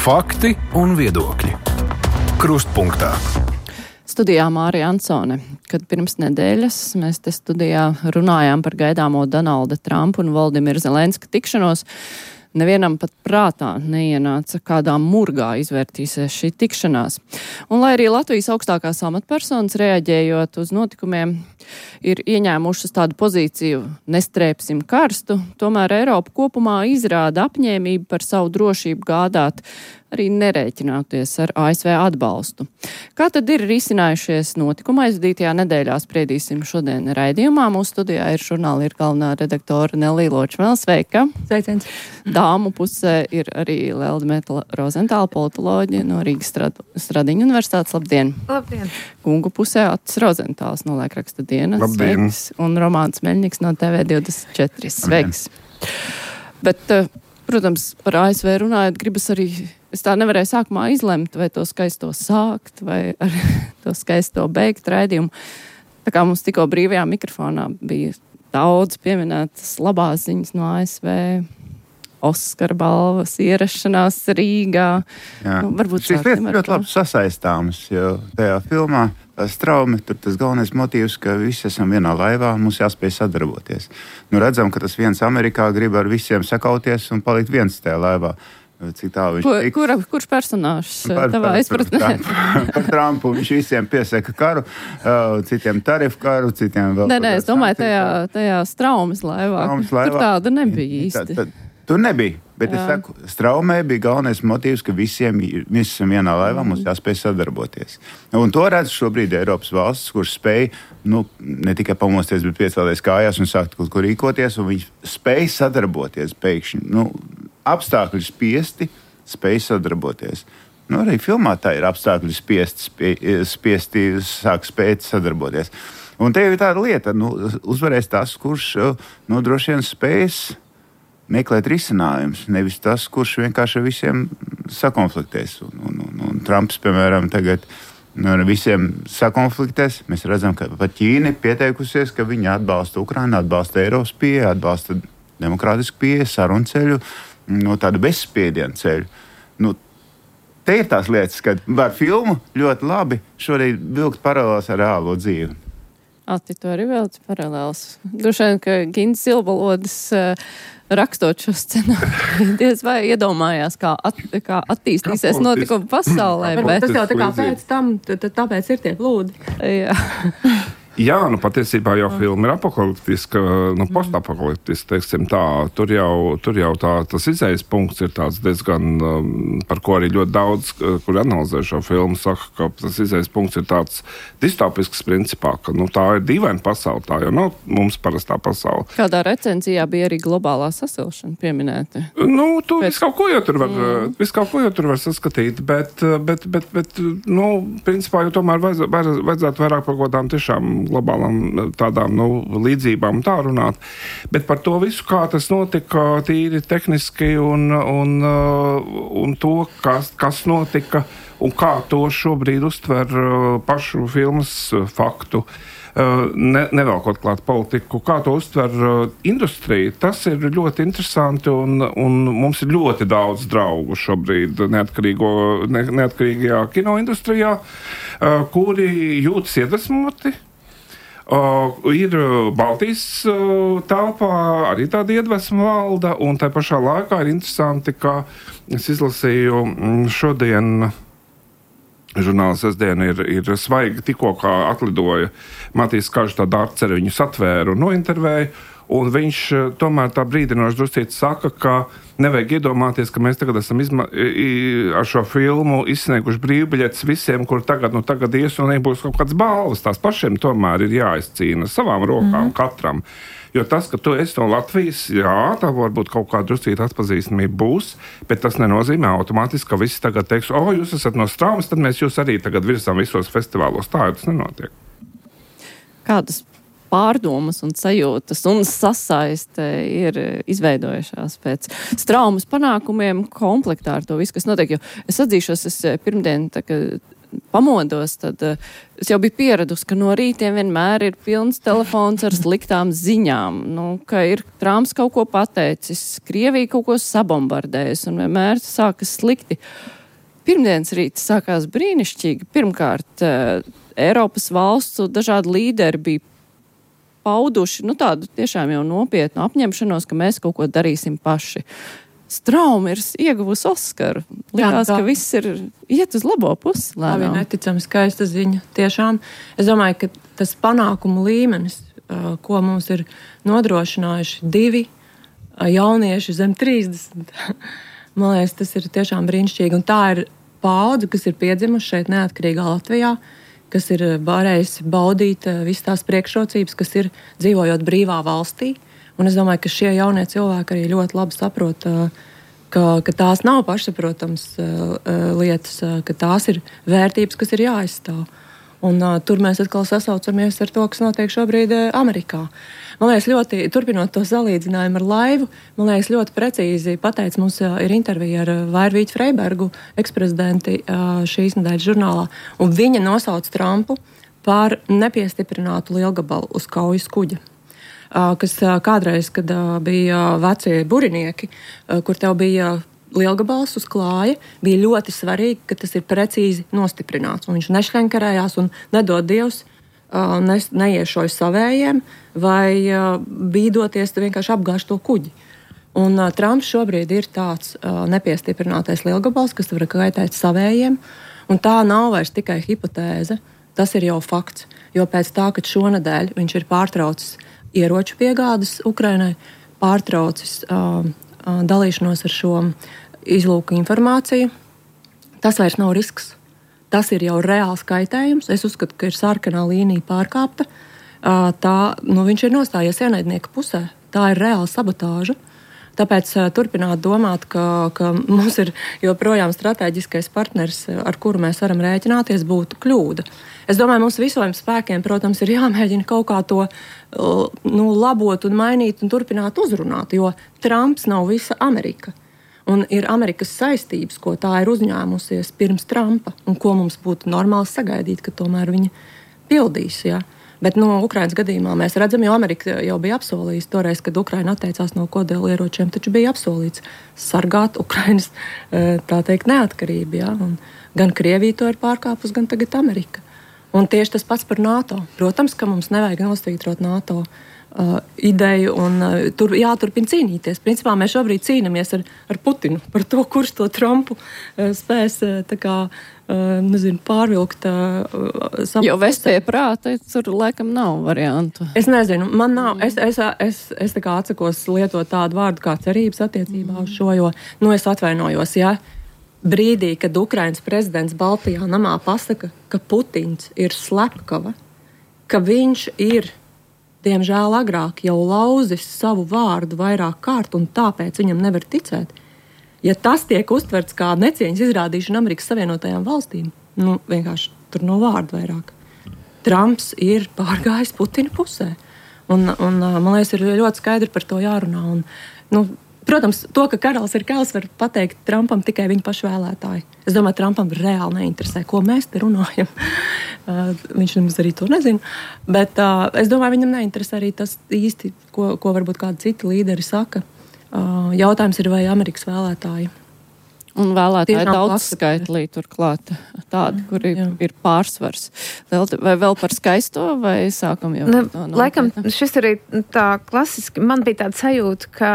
Fakti un viedokļi. Krustpunktā. Studijā Mārija Ansone, kad pirms nedēļas mēs te studijā runājām par gaidāmo Donalda Trumpa un Voldimira Zelenska tikšanos, nevienam pat prātā neienāca, kādā murgā izvērtīsies šī tikšanās. Un lai arī Latvijas augstākās amatpersonas reaģējot uz notikumiem ir ieņēmušas tādu pozīciju nestrēpsim karstu, tomēr Eiropa kopumā izrāda apņēmību par savu drošību gādāt, arī nerēķināties ar ASV atbalstu. Kā tad ir risinājušies notikuma aizvadītajā nedēļā, spriedīsim šodien raidījumā. Mūsu studijā ir žurnāla galvenā redaktora Nelija Ločmēle. Sveika! Sveiciens! Dāmu pusē ir arī Lelde Metla Rozentāla, politoloģija no Rīgas Stradiņu universitātes. Labdien! Labdien! Kungu pusē Atis Rozentāls no Laikraksta dienas. Labdien! Sveiks! Un Romāns Meļņiks no TV24. Sveiks! Bet, protams, par ASV runājot, gribas arī, es tā nevarēju sākumā izlemt, vai to skaisto sākt, vai ar to skaisto beigt raidījumu. Tā kā mums tikko brīvajā mikrofonā bija daudz pieminētas labās ziņas no ASV, Oskara balvas ierašanās Rīgā. Nu, varbūt šīs lietas ļoti labi sasaistāmas, jo tajā filmā Straumi, tur tas galvenais motīvs, ka visi esam vienā laivā un mums jāspēj sadarboties. Nu, redzam, ka tas viens Amerikā grib ar visiem sakauties un palikt viens tajā laivā. Cik tā viņš tiks. Kurš personāžs tavā izpratnē? Par Trumpu. Viņš visiem piesaka karu, citiem tarifu karu, citiem vēl. Nē, es domāju, tajā Straumes laivā. Tur tāda nebija īsti. Tur nebija, bet es saku, Straumē bija galvenais motīvs, ka visiem vienā laivā mums jāspēj sadarboties. Un to redz šobrīd Eiropas valstis, kurš spēj, ne tikai pamosties, bet piecelties kājās un sākt kaut ko rīkoties, un viņi spēj sadarboties pēkšņi. Apstākļi spiesti, spēj sadarboties. Arī filmā tā ir apstākļi spiesti sāk spēt sadarboties. Un te ir tāda lieta, uzvarēs tas, kurš droši vien spējas meklēt risinājumus, nevis tas, kurš vienkārši ar visiem sakonfliktēs. Un Trumps, piemēram, tagad ar visiem sakonfliktēs. Mēs redzam, ka pat Ķīna ir pieteikusies, ka viņi atbalsta Ukrainu, atbalsta Eiropas pieeju, atbalsta demokrātisku pieeju, sarunu ceļu, tādu bezspiedienu ceļu. Te ir tās lietas, kad var filmu ļoti labi šodien vilkt paralēlās ar reālo dzīvi. Ati, tu arī vēlci paralēls. Droši vien, ka Gins Silbalodis rakstot šo scenāriju, diez vai iedomājās, kā attīstīsies notikumi pasaulē. Tas jau tā kā pēc tam, tāpēc ir tie plūdi. Jā. Jā, patiesībā jau filma ir apokaliptiska, postapokaliptiska, teiksim tā. Tur jau tas izējas punkts ir tāds diezgan, par ko arī ļoti daudz, kur analizē šo filmu, saka, ka tas izējas punkts ir tāds distopisks principā, ka tā ir dīvaina pasaule, tā jau nav mums parastā pasaule. Kādā recenzijā bija arī globālā sasilšana pieminēta? Tu visu kaut ko jau tur var saskatīt, bet principā jau tomēr vajadzētu vairāk par kaut kādām tiešām globālām tādām līdzībām tā runāt. Bet par to visu, kā tas notika tīri tehniski un to, kas notika un kā to šobrīd uztver pašu filmas faktu, nevelkot klāt politiku, kā to uztver industrija. Tas ir ļoti interesanti un mums ir ļoti daudz draugu šobrīd neatkarīgajā kinoindustrijā, kuri jūtas iedvesmoti. Ir Baltijas telpā arī tāda iedvesma valda, un tā pašā laikā ir interesanti, ka es izlasīju šodien, žurnāla sestdiena ir svaigi, tikko kā atlidoja Matīs Kažs, tāda arceri viņu satvēru un nointervēja, un viņš tomēr tā brīdinoši druscīt saka, ka nevajag iedomāties, ka mēs tagad esam ar šo filmu izsnieguši brīvbiļetes visiem, kur tagad ies un nebūs kaut kāds balvas. Tās pašiem tomēr ir jāizcīna savām rokām katram. Jo tas, ka tu esi no Latvijas, jā, tā varbūt kaut kāda druscīta atpazīstamība būs, bet tas nenozīmē automātiski, ka visi tagad teiks, jūs esat no Straumes, tad mēs jūs arī tagad virsām visos festivālos. Tā jau tas nenotiek. Kādas pārdomas un sajūtas un sasaiste ir izveidojušās pēc Straumes panākumiem komplektā ar to visu, kas notiek. Jo es atzīšos, es pirmdien pamodos, tad es jau biju pieradusi, ka no rītiem vienmēr ir pilns telefons ar sliktām ziņām. Ka ir Trumps kaut ko pateicis, Krievija kaut ko sabombardējusi un vienmēr sākas slikti. pirmdienas rīts sākās brīnišķīgi. Pirmkārt, Eiropas valstu dažādi līderi bija pauduši, tādu tiešām jau nopietnu apņemšanos, ka mēs kaut ko darīsim paši. Straumi ir ieguvusi Oskaru. Likās, ka viss iet uz labo pusi. Tā bija neticami skaista ziņa. Tiešām, es domāju, ka tas panākumu līmenis, ko mums ir nodrošinājuši 2 jaunieši zem 30. Man liekas, tas ir tiešām brīnišķīgi. Un tā ir paudze, kas ir piedzimuši šeit neatkarīgā Latvijā, kas ir varējusi baudīt visas tās priekšrocības, kas ir dzīvojot brīvā valstī. Un es domāju, ka šie jaunie cilvēki arī ļoti labi saprot, ka tās nav pašsaprotams lietas, ka tās ir vērtības, kas ir jāaizstāv. Un tur mēs atkal sasaucamies ar to, kas notiek šobrīd Amerikā. Man liekas, ļoti, turpinot to salīdzinājumu ar laivu, man liekas, ļoti precīzi pateica, mums ir intervija ar Vairvīķu Freibergu, eksprezidenti šīs nedēļas žurnālā, un viņa nosauc Trumpu par nepiestiprinātu lielgabalu uz kaujas kuģa. Kas kādreiz, kad bija vecie burinieki, kur tev bija lielgabals uz klāja, bija ļoti svarīgi, ka tas ir precīzi nostiprināts. Un viņš nešļenkarējās un nedod Dievs neiešoja savējiem vai bīdoties vienkārši apgāž to kuģi. Un Trumps šobrīd ir tāds nepiestiprinātais lielgabals, kas var kaitēt savējiem, un tā nav vairs tikai hipotēze, tas ir jau fakts. Jo pēc tā, kad šonedēļ viņš ir pārtraucis ieroču piegādes Ukrainai, pārtraucis dalīšanos ar šo izlūku informāciju, tas vairs nav risks. Tas ir jau reāls kaitējums. Es uzskatu, ka ir sarkanā līnija pārkāpta. Viņš ir nostājies ienaidnieka pusē. Tā ir reāla sabotāža. Tāpēc turpināt domāt, ka mums ir joprojām strateģiskais partners, ar kuru mēs varam rēķināties, būtu kļūda. Es domāju, mums visiem spēkiem, protams, ir jāmēģina kaut kā to labot un mainīt un turpināt uzrunāt, jo Trumps nav visa Amerika. Un ir Amerikas saistības, ko tā ir uzņēmusies pirms Trumpa, un ko mums būtu normāli sagaidīt, ka tomēr viņa pildīs. Ja? Bet Ukrainas gadījumā mēs redzam, jo Amerika jau bija apsolījusi toreiz, kad Ukraina atteicās no kodolieročiem, taču bija apsolīts sargāt Ukrainas, tā teikt, neatkarību. Ja? Un gan Krievija to ir pārkāpus, gan tagad Amerika. Un tieši tas pats par NATO. Protams, ka mums nevajag nostītrot NATO ideju un tur jāturpina cīnīties. Principā mēs šobrīd cīnamies ar Putinu par to, kurš to Trumpu spēs pārvilkt savu. Jo vest pie prāta, tur laikam nav variantu. Es nezinu, man nav. Es tā kā atsakos lietot tādu vārdu kā cerības attiecībā uz šo, jo, es atvainojos, ja brīdī, kad Ukrainas prezidents Baltijā namā pasaka, ka Putins ir slepkava, ka viņš ir diemžēl agrāk jau lauzis savu vārdu vairāk kārt un tāpēc viņam nevar ticēt. Ja tas tiek uztverts kā necieņas izrādīšana Amerikas Savienotajām valstīm, vienkārši tur no vārdu vairāk. Trumps ir pārgājis Putina pusē. Un man liekas, ir ļoti skaidri par to jārunā. Un, protams, to, ka karalis ir karalis, var pateikt Trumpam tikai viņa pašu vēlētāji. Es domāju, Trumpam reāli neinteresē, ko mēs te runājam. Viņš nemaz arī to nezina. Bet es domāju, viņam neinteresē arī tas īsti, ko varbūt kādi citi līderi saka. Jautājums ir, vai Amerikas vēlētāji. Un vēlētāji daudz skaitlī turklāt tādi, kuri ir pārsvars. Vai vēl par skaisto, vai sākam jau? Laikam, šis arī tā klasiski, man bija tāda sajūta, ka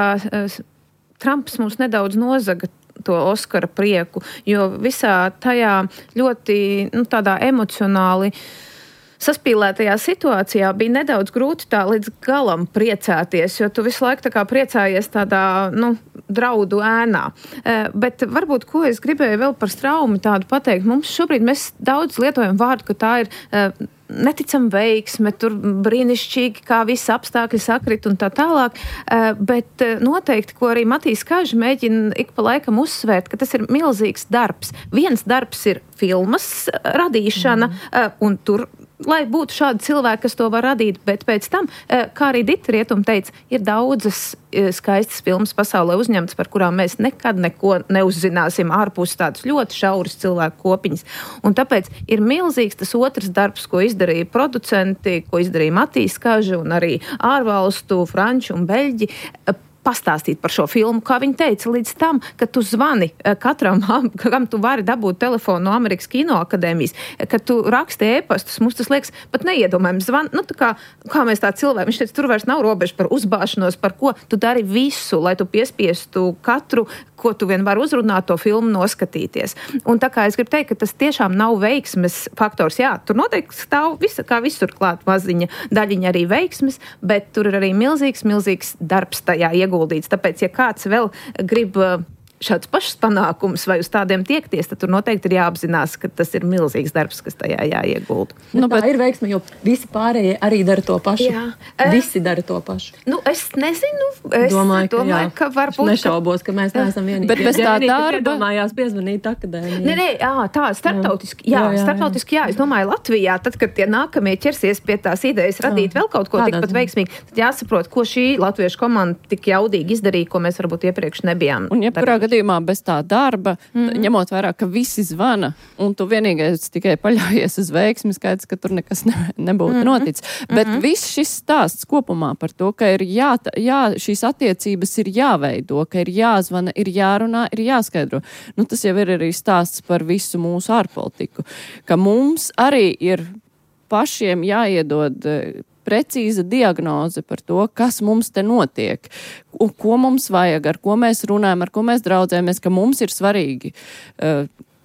Trumps mums nedaudz nozaga to Oskara prieku, jo visā tajā ļoti tādā emocionāli saspīlētajā situācijā bija nedaudz grūti tā līdz galam priecāties, jo tu visu laiku tā kā priecājies tādā, draudu ēnā. Bet varbūt, ko es gribēju vēl par Straumi tādu pateikt, mums šobrīd mēs daudz lietojam vārdu, ka tā ir neticam veiksme, tur brīnišķīgi, kā visi apstākļi sakrit un tā tālāk, bet noteikti, ko arī Matīs Kažs mēģina ik pa laikam uzsvērt, ka tas ir milzīgs darbs. Viens darbs ir filmas radīšana, un tur, lai būtu šādi cilvēki, kas to var radīt, bet pēc tam, kā arī Dita Rietuma teica, ir daudzas skaistas filmas pasaulē uzņemtas, par kurām mēs nekad neko neuzzināsim ārpus tādas ļoti šauras cilvēku kopiņas. Un tāpēc ir milzīgs tas otrs darbs, ko izdarīja producenti, ko izdarīja Matīs Kažs un arī ārvalstu, franču un beļģi, pastāstīt par šo filmu, kā viņi teica, līdz tam, ka tu zvani katram, kam tu vari dabūt telefonu no Amerikas Kinoakadēmijas, kad tu raksti ēpastus, mums tas liekas pat neiedomājams. Kā mēs tā cilvēki, viņš teica, tur vairs nav robeža par uzbāšanos, par ko tu dari visu, lai tu piespiestu katru, ko tu vien var uzrunāt, to filmu noskatīties. Un tā kā es gribu teikt, ka tas tiešām nav veiksmes faktors. Jā, tur noteikti stāv kā visur klāt maziņa daļiņa arī veiksmes, bet tur ir arī milzīgs darbs tajā ieguldīts. Tāpēc, ja kāds vēl grib šādus pašus panākumus vai uz tādiem tiekties, tad tur noteikti ir jāapzinās, ka tas ir milzīgs darbs, kas tajā jāiegulda. Tā ir veiksme, jo visi pārējie arī dara to pašu. Jā. Visi dara to pašu. Es nezinu. Es domāju, ka varbūt... Nešaubos, ka mēs neesam vienīgi. Bet bez tā darba... Iedomājās piezvanīt akadēmiju. Nē, tā, starptautiski. Starptautiski, jā. Es domāju, Latvijā, tad, kad tie nākamie ķersies pie tās idejas radīt vēl kaut ko tikpat veiksmīgi, tad jāsaprot, ko šī latviešu komanda tik jaudīgi izdarīja, ko mēs varbūt iepriekš nebijām. Un jebkurā gadījumā bez tā darba, ņemot vērā, ka visi zvana, un tu vienīgais tikai paļaujies uz veiksmi, skaidrs, ka tur nekas nebūtu noticis. Bet viss šis stāsts kopumā par to, ka ir šīs attiecības ir jāveido, ka ir jāzvana, ir jārunā, ir jāskaidro. Tas jau ir arī stāsts par visu mūsu ārpolitiku, ka mums arī ir pašiem jāiedod precīza diagnoze par to, kas mums te notiek, un ko mums vajag, ar ko mēs runājam, ar ko mēs draudzējamies, ka mums ir svarīgi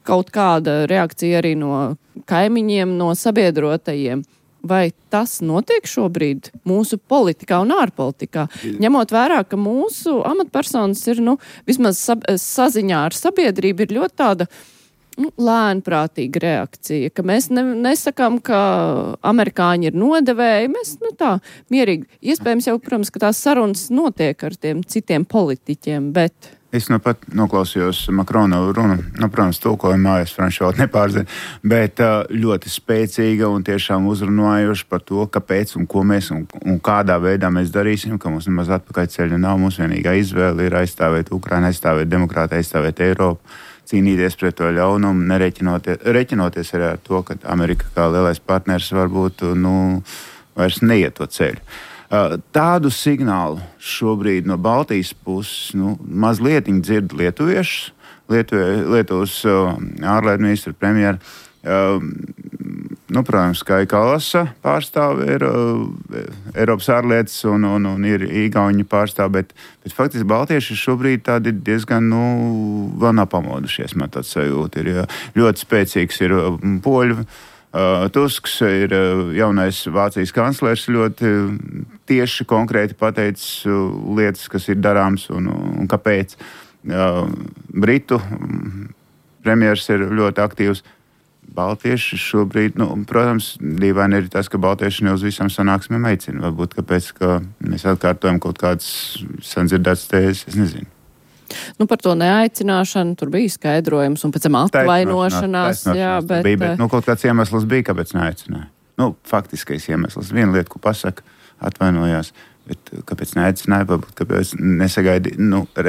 kaut kāda reakcija arī no kaimiņiem, no sabiedrotajiem. Vai tas notiek šobrīd mūsu politikā un ārpolitikā? Ņemot vērā, ka mūsu amatpersonas ir, vismaz saziņā ar sabiedrību ir ļoti tāda lēnprātīga reakcija, ka mēs nesakām, ka amerikāņi ir nodevēji, mēs tā mierīgi. Iespējams jau, protams, ka tās sarunas notiek ar tiem citiem politiķiem, bet... Es pat noklausījos Makrona runu, protams, tulkojumā, es franču valodu nepārzinu, bet ļoti spēcīga un tiešām uzrunājoša par to, kāpēc un ko mēs un kādā veidā mēs darīsim, ka mums nemaz atpakaļ ceļa nav, mums vienīgā izvēle ir aizstāvēt Ukrainu, aizstāvēt demokrātiju, aizstāvēt Eiropu, cīnīties pret to ļaunumu, reķinoties arī ar to, ka Amerika kā lielais partners varbūt vairs neiet to ceļu. Tādu signālu šobrīd no Baltijas puses mazliet dzird lietuviešus, Lietuvas ārlietu ministru premjeru. Protams, kā Kalasa pārstāv ir Eiropas ārlietas un ir Igauņu pārstāv, bet faktiski baltieši šobrīd tādi diezgan, vēl nav pamodušies, man tāds sajūta ir. Ļoti spēcīgs ir poļu. Tusks ir jaunais Vācijas kanclers, ļoti tieši konkrēti pateicis lietas, kas ir darāms un kāpēc. Britu premjers ir ļoti aktīvs. Baltieši šobrīd, protams, dīvaini ir tas, ka baltieši ne uz visam sanāksmēm aicina. Varbūt kāpēc, ka mēs atkārtojam kaut kādas sandzirdētas tēzes, es nezinu. Par to neaicināšanu tur bija skaidrojums un pēc tam atvainošanās. Jā, bet kaut kāds iemesls bija, kāpēc neaicināja. Faktiskais iemesls. Viena lieta, ko pasaka, atvainojās, bet kāpēc neaicināja, varbūt kāpēc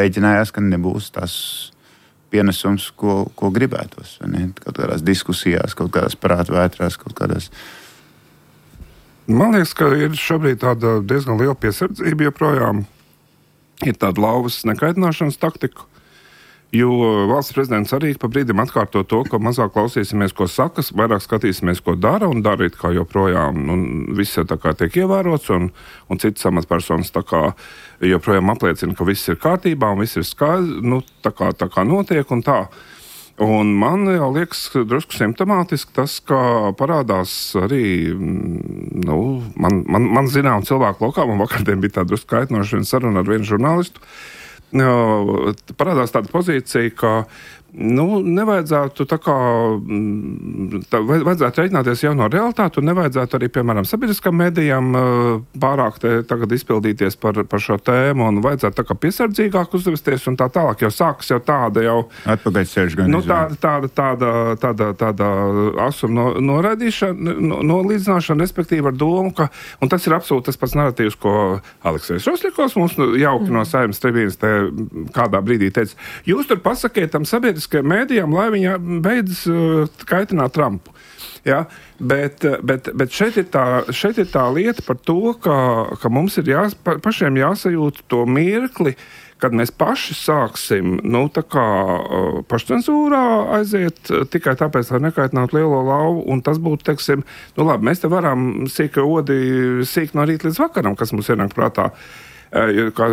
rēķinājās, ka nebūs tas pienesums, ko gribētos. Kaut kādās diskusijās, kaut kādās prātvētrās, kaut kādās. Man liekas, ka ir šobrīd tāda diezgan liela piesardzība joprojām. Ir tāda lauvas nekaitināšanas taktika, jo valsts prezidents arī pa brīdim atkārto to, ka mazāk klausīsimies, ko sakas, vairāk skatīsimies, ko dara un darīt, kā joprojām. Viss jau tā kā tiek ievērots un citas amatpersonas tā kā joprojām apliecina, ka viss ir kārtībā un viss ir skaidrs, tā kā notiek un tā. Un man jau liekas drusku simptomātiski tas, ka parādās arī, man zinām cilvēku lokā, man vakardien bija tāda drusku kaitinoša saruna ar vienu žurnālistu, parādās tāda pozīcija, ka nevajadzētu vajadzētu reiķināties jau no realitāti un nevajadzētu arī, piemēram, sabiedriskām medijām pārāk tagad izpildīties par šo tēmu un vajadzētu tā kā piesardzīgāk uzvesties un tā tālāk, jo sākas jau tāda jau atpakaļceļš gan tāda asuma noraidīšana, nolīdzināšana, respektīvi ar domu, ka, un tas ir absolūti tas pats narratīvs, ko Aleksejs Rosļakovs mums jauki no Saeimas tribīnes te kādā brīdī teica, jūs tur pasakiet tam sabiedriskajiem mēdījiem, lai viņi beidz kaitināt Trumpu. Ja, bet šeit ir tā lieta par to, ka mums ir pašiem jāsajūt to mirkli, kad mēs paši sāksim pašcensūrā aiziet tikai tāpēc, lai nekaitinātu lielo lauvu, un tas būtu, teiksim, labi, mēs te varam sīka odi sīk no rīta līdz vakaram, kas mums ienāk prātā. Kā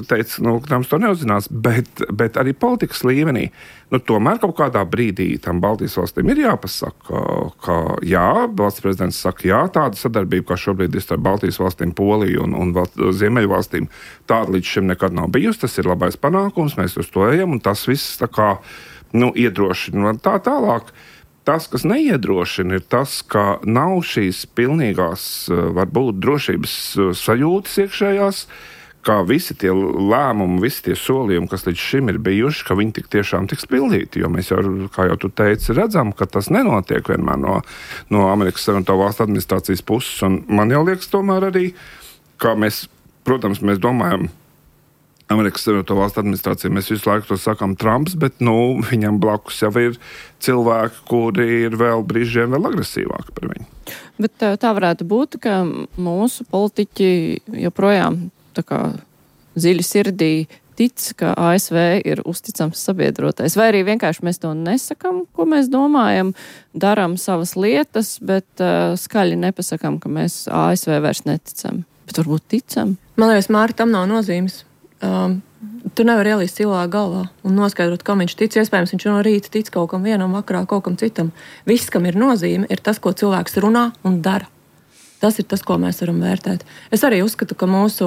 teica, Trumps to neuzzinās, bet arī politikas līmenī, tomēr kaut kādā brīdī tam Baltijas valstīm ir jāpasaka, ka jā, valsts prezidents saka, jā, tāda sadarbība, kā šobrīd ir starp Baltijas valstīm, Poliju un Ziemeļu valstīm, tāda līdz šim nekad nav bijusi, tas ir labais panākums, mēs uz to ejam, un tas viss tā kā, iedrošina tā tālāk. Tas, kas neiedrošina, ir tas, ka nav šīs pilnīgās, varbūt, drošības sajūtas iekšējās, ka visi tie lēmumi, visi tie solījumi, kas līdz šim ir bijuši, ka viņi tik tiešām tiks pildīti. Jo mēs jau, kā jau tu teici, redzam, ka tas nenotiek vienmēr no Amerikas Savienoto Valstu administrācijas puses. Un man jau liekas tomēr arī, ka mēs domājam, Amerikas Savienoto Valstu administrācija, mēs visu laiku to sakām Trumps, bet viņam blakus jau ir cilvēki, kuri ir vēl brīžiem vēl agresīvāki par viņu. Bet tā varētu būt, ka mūsu politiķi joprojām tā kā dziļi sirdī tic, ka ASV ir uzticams sabiedrotais. Vai arī vienkārši mēs to nesakam, ko mēs domājam, darām savas lietas, bet skaļi nepasakam, ka mēs ASV vairs neticam. Bet varbūt ticam. Man liekas, Māri, tam nav nozīmes. Tu nevari ielīst cilvēku galvā un noskaidrot, kam viņš tic. Iespējams, viņš no rīta tic kaut kam vienam, vakarā kaut kam citam. Viss, kam ir nozīme, ir tas, ko cilvēks runā un dara. Tas ir tas, ko mēs varam vērtēt. Es arī uzskatu, ka mūsu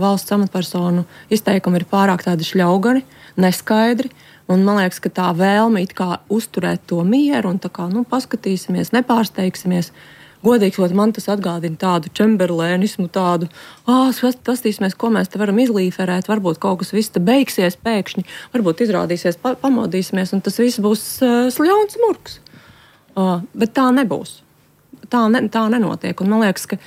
valsts amatpersonu izteikumi ir pārāk tādi šļaugani, neskaidri, un man liekas, ka tā vēlme it kā uzturēt to mieru un tā kā, paskatīsimies, nepārsteigsimies. Godīgi, man tas atgādina tādu čemberlēnismu, tādu, pastīsimies, ko mēs te varam izlīferēt, varbūt kaut kas viss te beigsies pēkšņi, varbūt izrādīsies, pamodīsimies, un tas viss būs sļauns murgs. Bet tā nebūs. Tā nenotiek, un man liekas, ka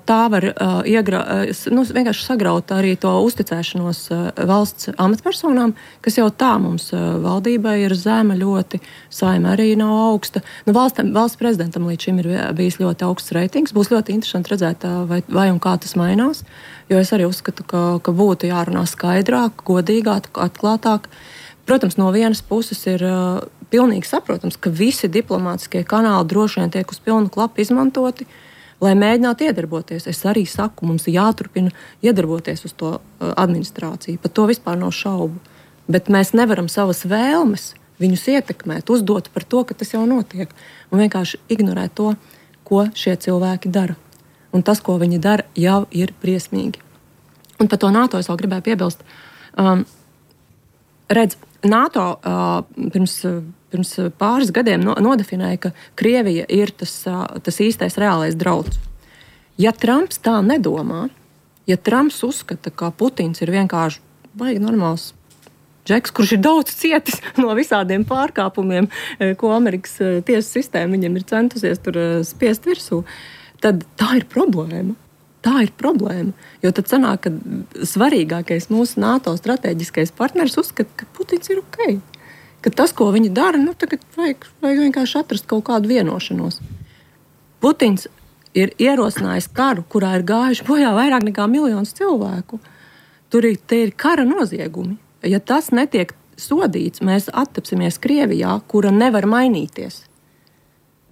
tā var vienkārši sagraut arī to uzticēšanos valsts amatpersonām, kas jau tā mums valdībai ir zema ļoti, Saima arī nav augsta. Valsts prezidentam līdz šim ir bijis ļoti augsts reitings. Būs ļoti interesanti redzēt, vai un kā tas mainās, jo es arī uzskatu, ka būtu jārunā skaidrāk, godīgāk, atklātāk. Protams, no vienas puses ir pilnīgi saprotams, ka visi diplomātiskie kanāli droši vien tiek uz pilnu klapu izmantoti, lai mēģinātu iedarboties. Es arī saku, mums ir jāturpina iedarboties uz to administrāciju. Par to vispār nav šaubu. Bet mēs nevaram savas vēlmes viņus ietekmēt, uzdot par to, ka tas jau notiek. Un vienkārši ignorēt to, ko šie cilvēki dara. Un tas, ko viņi dara, jau ir briesmīgi. Un par to NATO es vēl gribēju piebilst. Redz, NATO pirms pāris gadiem nodefinēja, ka Krievija ir tas īstais reālais drauds. Ja Trumps tā nedomā, ja Trumps uzskata, ka Putins ir vienkārši baigi normāls džeks, kurš ir daudz cietis no visādiem pārkāpumiem, ko Amerikas tiesu sistēma viņam ir centusies tur spiest virsū, tad tā ir problēma. Tā ir problēma, jo tad sanāk, ka svarīgākais mūsu NATO strateģiskais partners uzskata, ka Putins ir ok. Ka tas, ko viņi dara, tagad vajag vienkārši atrast kaut kādu vienošanos. Putins ir ierosinājis karu, kurā ir gājuši bojā vairāk nekā 1 miljons cilvēku. Te ir kara noziegumi. Ja tas netiek sodīts, mēs attapsimies Krievijā, kura nevar mainīties.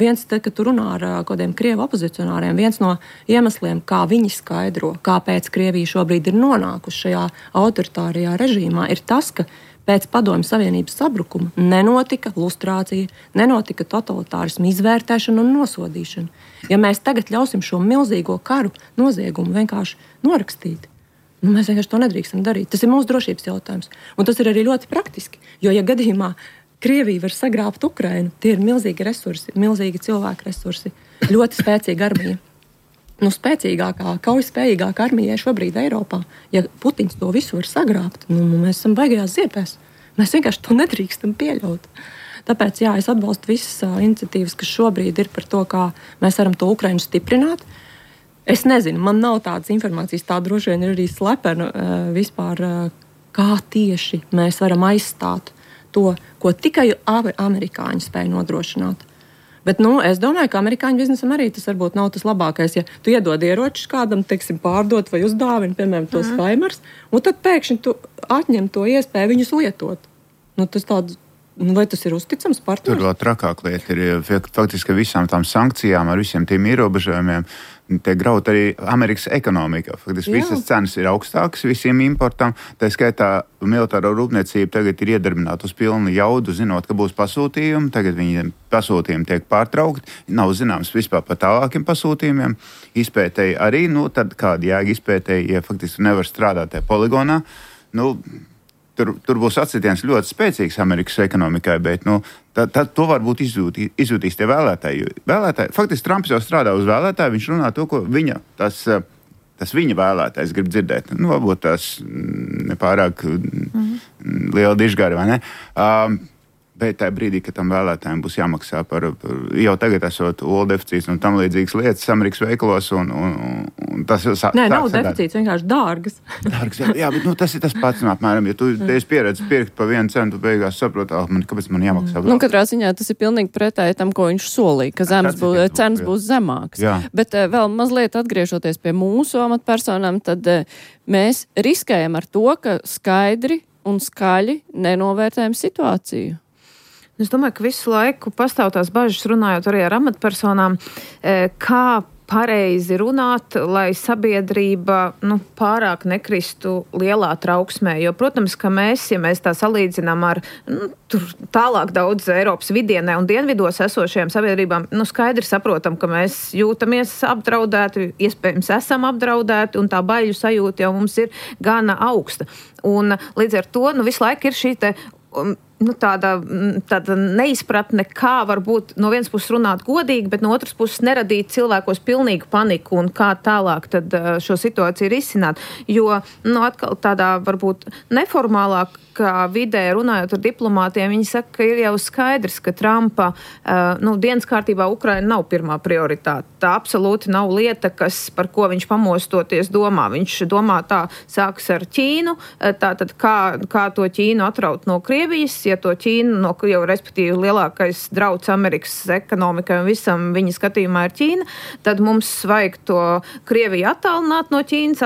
Viens, kad tu runā ar kādiem krievu opozicionāriem, viens no iemesliem, kā viņi skaidro, kāpēc Krievija šobrīd ir nonākusi šajā autoritārajā režīmā, ir tas, ka pēc Padomju Savienības sabrukuma nenotika lustrācija, nenotika totalitārismu izvērtēšana un nosodīšana. Ja mēs tagad ļausim šo milzīgo karu noziegumu vienkārši norakstīt, mēs vienkārši to nedrīkstam darīt. Tas ir mūsu drošības jautājums. Un tas ir arī ļoti praktiski, jo ja gadījumā Krievija var sagrābt Ukrainu, tie ir milzīgi resursi, milzīgi cilvēku resursi, ļoti spēcīga armija. Spēcīgākā, kaujaspējīgākā armija šobrīd Eiropā. Ja Putins to visu var sagrābt, mēs esam baigajās ziepēs. Mēs vienkārši to nedrīkstam pieļaut. Tāpēc, jā, es atbalstu visas iniciatīvas, kas šobrīd ir par to, kā mēs varam to Ukrainu stiprināt. Es nezinu, man nav tādas informācijas, tā droši vien ir arī slepena vispār, kā tieši mēs varam aizstāt to, ko tikai amerikāņi spēja nodrošināt. Bet, es domāju, ka amerikāņu biznesam arī tas varbūt nav tas labākais. Ja tu iedod ieročus kādam, teiksim, pārdot vai uzdāvini, piemēram, tos Faimers, un tad pēkšņi tu atņem to iespēju viņus lietot. Tas tāds, vai tas ir uzticams partners? Tur vēl trakāk lieta ir, faktiski visām tām sankcijām, ar visiem tiem ierobežojumiem, te graut arī Amerikas ekonomika. Faktiski visas cenas ir augstākas visiem importam. Tā skaitā militāro rūpniecību tagad ir iedarbināta uz pilnu jaudu, zinot, ka būs pasūtījumi. Tagad viņiem pasūtījumi tiek pārtraukti. Nav zināms vispār par tālākiem pasūtījumiem. Izpētēji arī, tad kāda jēga izpētēji, ja faktiski nevar strādāt tajā poligonā. Tur būs atsitiens ļoti spēcīgs Amerikas ekonomikai, bet to varbūt izjūtīs tie vēlētāji. Faktiski Trumps jau strādā uz vēlētāju, viņš runā to, ko tas viņa vēlētājs grib dzirdēt. Varbūt tas nepārāk liela dižgari, vai ne? Bet tajā brīdī, kad tam vēlētājiem būs jāmaksā par jau tagad esot olu deficīts un tam līdzīgas lietas Amerikas veikalos, un tas jau nav deficīts, vienkārši dārgas. Jā, bet tas ir tas pats, apmēram, ja tu esi pieredzi pirkt pa 1 centu, beigās saproti, kāpēc man jāmaksā. Katrā ziņā tas ir pilnīgi pretēji tam, ko viņš solīja, ka cenas būs zemākas. Jā. Bet vēl mazliet atgriežoties pie mūsu amatpersonām, tad mēs riskējam ar to, ka skaidri un skaļi nenovērtējam situāciju. Es domāju, ka visu laiku pastāv tās bažas, runājot arī ar amatpersonām, kā pareizi runāt, lai sabiedrība pārāk nekristu lielā trauksmē. Jo, protams, ka ja mēs tā salīdzinām ar tur tālāk daudz Eiropas vidienē un dienvidos esošajām sabiedrībām, skaidri saprotam, ka mēs jūtamies apdraudēti, iespējams esam apdraudēti, un tā baiļu sajūta jau mums ir gana augsta. Un līdz ar to visu laiku ir šī te tāda neizpratne, kā varbūt no vienas puses runāt godīgi, bet no otras puses neradīt cilvēkos pilnīgu paniku un kā tālāk tad šo situāciju risināt. Jo, atkal tādā varbūt neformālākā vidē runājot ar diplomātiem, viņi saka, ka ir jau skaidrs, ka Trumpa dienas kārtībā Ukraina nav pirmā prioritāte. Tā absolūti nav lieta, par ko viņš pamostoties domā. Viņš domā tā, sāks ar Ķīnu, tātad kā to Ķīnu atraut no Krievijas, ja to Ķīnu, jau respektīvi lielākais drauds Amerikas ekonomikai un visam viņa skatījumā ir Ķīna, tad mums vajag to Krieviju attālināt no Ķīnas,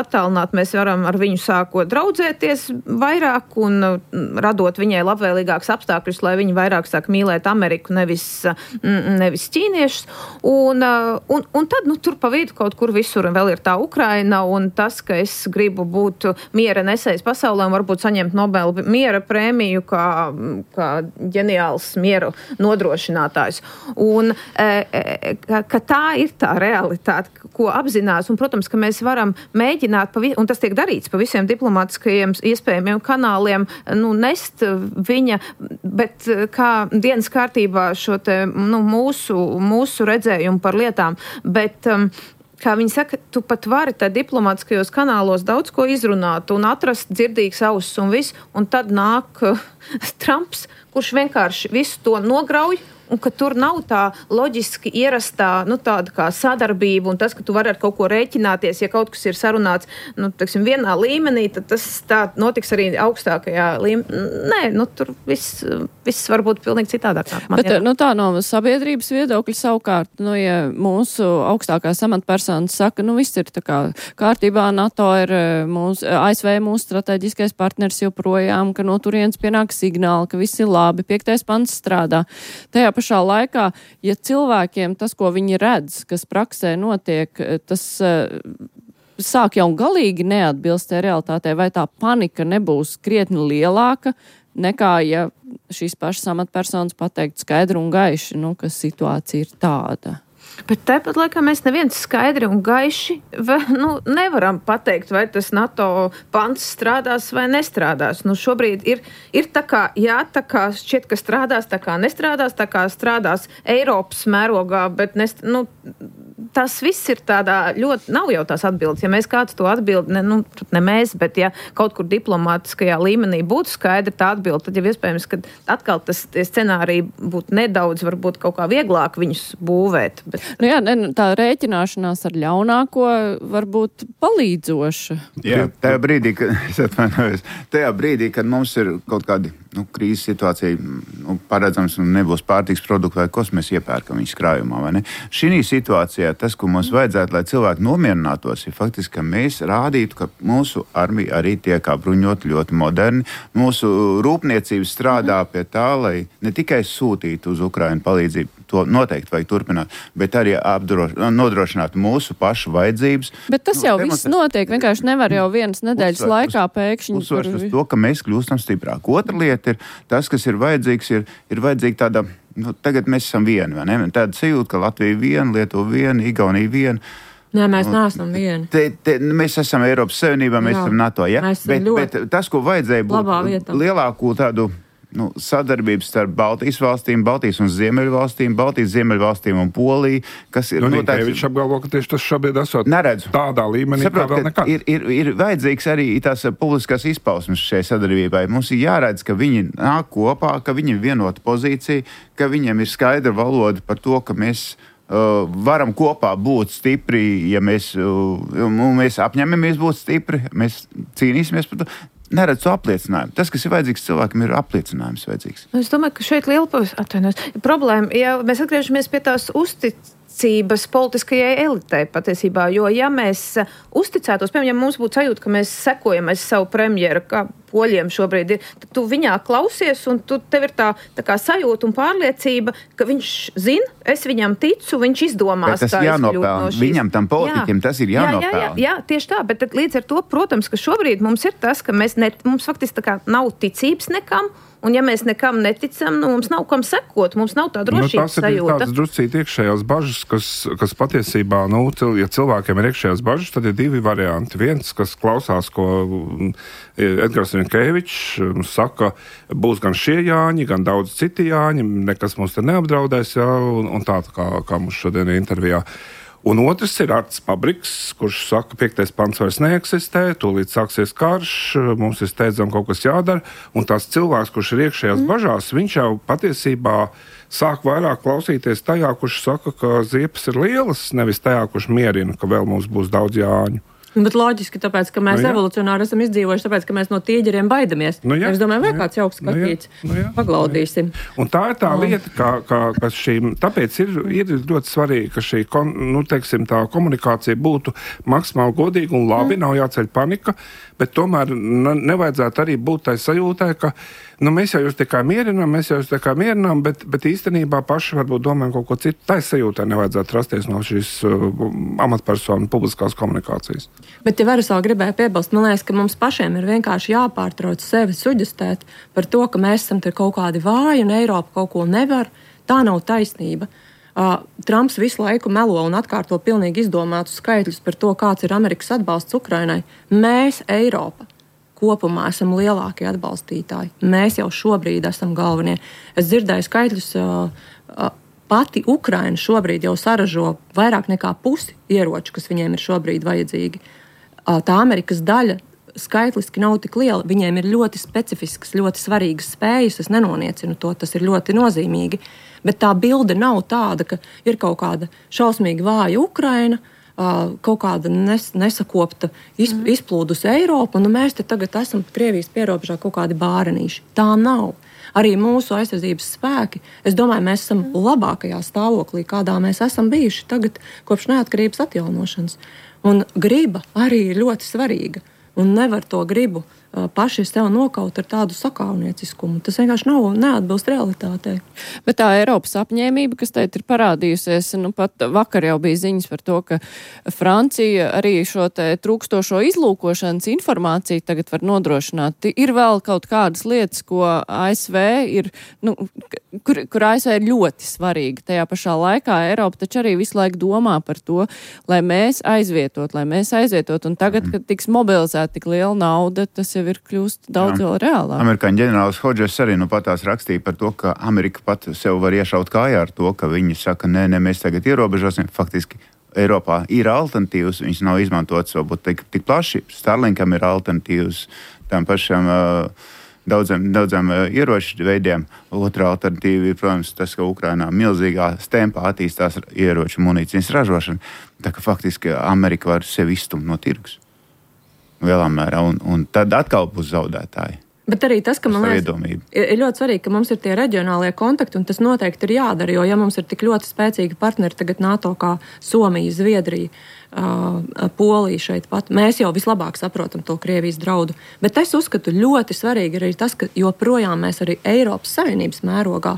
mēs varam ar viņu sākot draudzēties vairāk un radot viņai labvēlīgāks apstākļus, lai viņi vairāk sāk mīlēt Ameriku, nevis ķīniešus. Un tad, tur pa vidu kaut kur visur vēl ir tā Ukraina, un tas, ka es gribu būt miera nesējs pasaulē un varbūt saņemt Nobela miera prēmiju kā ģeniāls mieru nodrošinātājs. Un ka tā ir tā realitāte, ko apzinās, un, protams, ka mēs varam mēģināt, un tas tiek darīts pa visiem diplomātiskajiem iespējamiem kanāliem, nest viņa, bet kā dienas kārtībā šo te, mūsu redzējumu par lietām, bet kā viņi saka, tu pat vari tā diplomātiskajos kanālos daudz ko izrunāt un atrast dzirdīgs auss un viss, un tad nāk Trumps, kurš vienkārši visu to nograuj, un ka tur nav tā loģiski ierastā, tāda kā sadarbība, un tas, ka tu vari ar kaut ko rēķināties, ja kaut kas ir sarunāts, vienā līmenī, tad tas tā notiks arī augstākajā līmenī. Nē, tur viss var būt pilnīgi citādāk. Bet tā no sabiedrības viedokļa savukārt, ja mūsu augstākās amatpersonas saka, viss ir tā kā kārtībā, NATO ir ASV mūsu strateģiskais partners joprojām, ka no turienes pienāk signāli, ka viss ir labi, 5. pants strādā. Tajā pašā laikā, ja cilvēkiem tas, ko viņi redz, kas praksē notiek, tas sāk jau galīgi neatbilst realitātei, vai tā panika nebūs krietni lielāka nekā, ja šīs pašas amatpersonas pateikt skaidri un gaiši, ka situācija ir tāda. Bet tāpat laikā mēs neviens skaidri un gaiši nevaram pateikt, vai tas NATO pants strādās vai nestrādās. Šobrīd ir tā kā, šķiet, ka strādās, tā kā nestrādās, tā kā strādās Eiropas mērogā, bet tas viss ir tādā ļoti, nav jau tās atbildes. Ja mēs kāds to atbild, ne mēs, bet ja kaut kur diplomātiskajā līmenī būtu skaidra tā atbilde, tad jau iespējams, ka atkal tie scenāriji būtu nedaudz, varbūt kaut kā vieglāk viņus būvēt. Bet... tā rēķināšanās ar ļaunāko var būt palīdzoša. Jā, tajā brīdī, kad mums ir kaut kādi krīzes situācija paredzams un nebūs pārtiks produktu vai ko mēs iepērkam viņas krājumā. Vai ne? Šī situācijā tas, ko mums vajadzētu, lai cilvēki nomierinātos, ir faktiski, ka mēs rādītu, ka mūsu armija arī tiek apbruņot ļoti moderni. Mūsu rūpniecība strādā pie tā, lai ne tikai sūtītu uz Ukrainu palīdzību, to noteikti vajag turpināt, bet arī nodrošināt mūsu pašu vajadzības. Bet tas jau viss notiek, vienkārši nevar jau vienas nedēļas laikā pēkšņi. Uzsvars uz to, ka mēs kļūstam stiprāk. Otra lieta ir tas, kas ir vajadzīgs, ir vajadzīga tāda, tagad mēs esam vieni, vai ne? Tāda sajūta, ka Latvija viena, Lietuva viena, Igaunija viena. Nē, mēs neesam vieni. Mēs esam Eiropas Savienībā, mēs esam NATO, ja? Bet tas, ko vajadzēja būt lielāku tādu sadarbības starp Baltijas valstīm, Baltijas un Ziemeļvalstīm, Baltijas Ziemeļvalstīm un Poliju, kas ir... Viņš apgalvo, ka tieši tas šobrīd esot tādā līmenī, kā vēl nekad. Ir vajadzīgs arī tās publiskās izpausmes šai sadarbībai. Mums ir jāredz, ka viņi nāk kopā, ka viņiem ir vienota pozīcija, ka viņiem ir skaidra valoda par to, ka mēs varam kopā būt stipri, ja mēs apņemamies būt stipri, mēs cīnīsimies par to. Neredz to apliecinājumu. Tas, kas ir vajadzīgs cilvēkam, ir apliecinājums vajadzīgs. Es domāju, ka šeit liela problēma, ja mēs atgriežamies pie tās uzticības politiskajai elitei patiesībā, jo ja mēs uzticētos, piemēram, ja mums būtu sajūta, ka mēs sekojam aiz savu premjeru, kā poļiem šobrīd ir, tad tu viņā klausies un tev ir tā kā sajūta un pārliecība, ka viņš zina, es viņam ticu, viņš izdomās, kā jānopelna. No šīs. Viņam tam politiķim tas ir jānopelna. Jā, tieši tā, bet līdz ar to, protams, ka šobrīd mums ir tas, ka mums faktiski tā kā nav ticības nekam, un ja mēs nekam neticam, mums nav kam sekot, mums nav tā drošības sajūta. Tas ir tāds druscīt iekšējās bažas, kas patiesībā, ja cilvēkiem ir iekšējās bažas, tad ir divi varianti. Viens, kas klausās, ko Edgars Rinkēvičs saka, būs gan šie Jāņi, gan daudz citi Jāņi, nekas mums te neapdraudēs, jā, un tā kā mums šodien intervijā. Un otrs ir Arts Pabriks, kurš saka, 5. pants vairs neeksistē, tūlīt sāksies karš, mums ir steidzam kaut kas jādara, un tās cilvēks, kurš ir iekšējās bažās, viņš jau patiesībā sāk vairāk klausīties tajā, kurš saka, ka ziepes ir lielas, nevis tajā, kurš mierina, ka vēl mums būs daudz Jāņu. Bet loģiski, tāpēc, ka mēs evolucionāri esam izdzīvojuši, tāpēc, ka mēs no tīģeriem baidamies. Mēs domājam, vai kāds jauks skatīts, paglaudīsim. Un tā ir tā lieta, ka tāpēc ir ļoti svarīgi, ka šī, tā komunikācija būtu maksimāli godīga un labi, nav jāceļ panika, bet tomēr nevajadzētu arī būt tai sajūtai, ka mēs jau jūs tikai mierinām, bet īstenībā paši varbūt domājam kaut ko citu. Tai sajūtai nevajadzētu rasties no šīs amatpersonu publiskās komunikācijas. Bet, ja varas vēl gribēju piebilst, man liekas, ka mums pašiem ir vienkārši jāpārtrauc sevi suģestēt par to, ka mēs esam kaut kādi vāji un Eiropa kaut ko nevar. Tā nav taisnība. Trumps visu laiku melo un atkārto pilnīgi izdomātus skaitļus par to, kāds ir Amerikas atbalsts Ukrainai. Mēs, Eiropa, kopumā esam lielākie atbalstītāji. Mēs jau šobrīd esam galvenie. Es dzirdēju skaitļus, pati Ukraina šobrīd jau saražo vairāk nekā pusi ieroču, kas viņiem ir šobrīd vajadzīgi. Tā Amerikas daļa skaitliski nav tik liela. Viņiem ir ļoti specifiskas, ļoti svarīgas spējas. Es nenoniecinu to, tas ir ļoti nozīmīgi. Bet tā bilde nav tāda, ka ir kaut kāda šausmīgi vāja Ukraina, kaut kāda nesakopta izplūdus Eiropa, un mēs te tagad esam Krievijas pierobežā kaut kādi bārenīši. Tā nav. Arī mūsu aizsardzības spēki, es domāju, mēs esam labākajā stāvoklī, kādā mēs esam bijuši tagad kopš neatkarības atjaunošanas. Un griba arī ir ļoti svarīga, un nevar to gribu paši sev nokaut ar tādu sakaunieciskumu. Tas vienkārši neatbilst realitātei. Bet tā Eiropas apņēmība, kas teit ir parādījusies, pat vakar jau bija ziņas par to, ka Francija arī šo te trūkstošo izlūkošanas informāciju tagad var nodrošināt. Ir vēl kaut kādas lietas, ko ASV ir, kur ASV ir ļoti svarīgi. Tajā pašā laikā Eiropa taču arī visu laiku domā par to, lai mēs aizvietot, un tagad, kad tiks mobilizēta tik liela nauda, tas jau ir kļūst daudz vēl reālāk. Amerikāņu ģenerālis Hodžers arī patās rakstīja par to, ka Amerika pat sev var iešaut kājā ar to, ka viņi saka, nē, mēs tagad ierobežosim. Faktiski Eiropā ir alternatīvas, viņas nav izmantotas varbūt tik plaši. Starlinkam ir alternatīvas tam pašam daudziem ieroču veidiem. Otra alternatīva ir, protams, tas, ka Ukrainā milzīgā tempā attīstās ieroču munīcijas ražošana. Tā ka faktiski Amerika var sevi izstumt no tirgus. Lielā mērā, un tad atkal būs zaudētāji. Bet arī tas, ka man liekas, ir ļoti svarīgi, ka mums ir tie reģionālie kontakti, un tas noteikti ir jādara, jo ja mums ir tik ļoti spēcīgi partneri tagad NATO kā Somija, Zviedrija, Polija šeit pat, mēs jau vislabāk saprotam to Krievijas draudu. Bet es uzskatu ļoti svarīgi arī tas, ka joprojām mēs arī Eiropas Savienības mērogā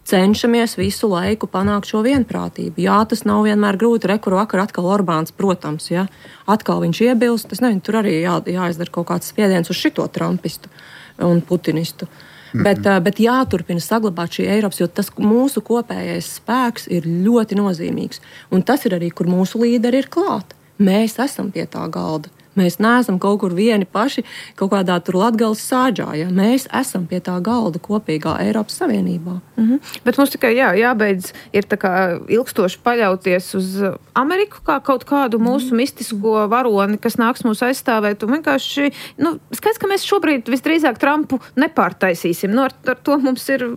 cenšamies visu laiku panākt šo vienprātību. Jā, tas nav vienmēr grūti. Rekuru vakar atkal Orbāns, protams, ja? Atkal viņš iebilst. Es nezinu, tur arī jāizdara kaut kāds spiediens uz šito trumpistu un putinistu. Bet jāturpina saglabāt šī Eiropas, jo tas mūsu kopējais spēks ir ļoti nozīmīgs. Un tas ir arī, kur mūsu līderi ir klāt. Mēs esam pie tā galda. Mēs neesam kaut kur vieni paši, kaut kādā tur Latgales sāģā. Ja? Mēs esam pie tā galda kopīgā Eiropas Savienībā. Bet mums tikai jābeidz ir tā kā ilgstoši paļauties uz Ameriku kā kaut kādu mūsu mistisko varoni, kas nāks mūs aizstāvēt. Un vienkārši, skaidrs, ka mēs šobrīd visdrīzāk Trumpu nepārtaisīsim. Ar to mums ir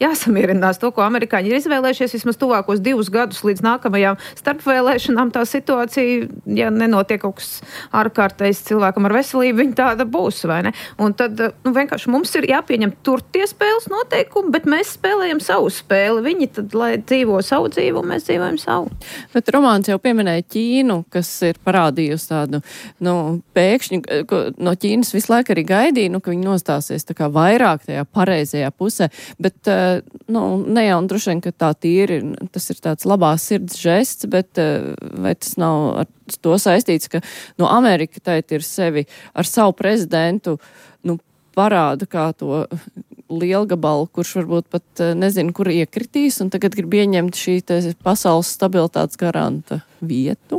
jāsamierinās. To, ko amerikāņi ir izvēlējušies vismaz tuvākos 2 gadus līdz nākamajām starpvēlēšanām, tā situācija, ja nenotiek kaut kas ārkārtējs cilvēkam ar veselību, viņa tāda būs, vai ne? Un tad vienkārši mums ir jāpieņem tur tie spēles noteikumi, bet mēs spēlējam savu spēli. Viņi tad, lai dzīvo savu dzīvi, un mēs dzīvojam savu. Bet Romāns jau pieminēja Ķīnu, kas ir parādījusi tādu, pēkšņi, no Ķīnas visu laiku arī gaidīja, ka viņi nostāsies tā kā vairāk tajā pareizajā pusē, bet, ne jau droši vien, ka tā tīri, tas ir tāds labās sirds žests, bet vai tas nav ar to saistīts, ka Amerika tēt ir sevi ar savu prezidentu, parāda kā to lielgabalu, kurš varbūt pat nezinu, kur iekritīs, un tagad grib ieņemt šī pasaules stabilitātes garanta vietu.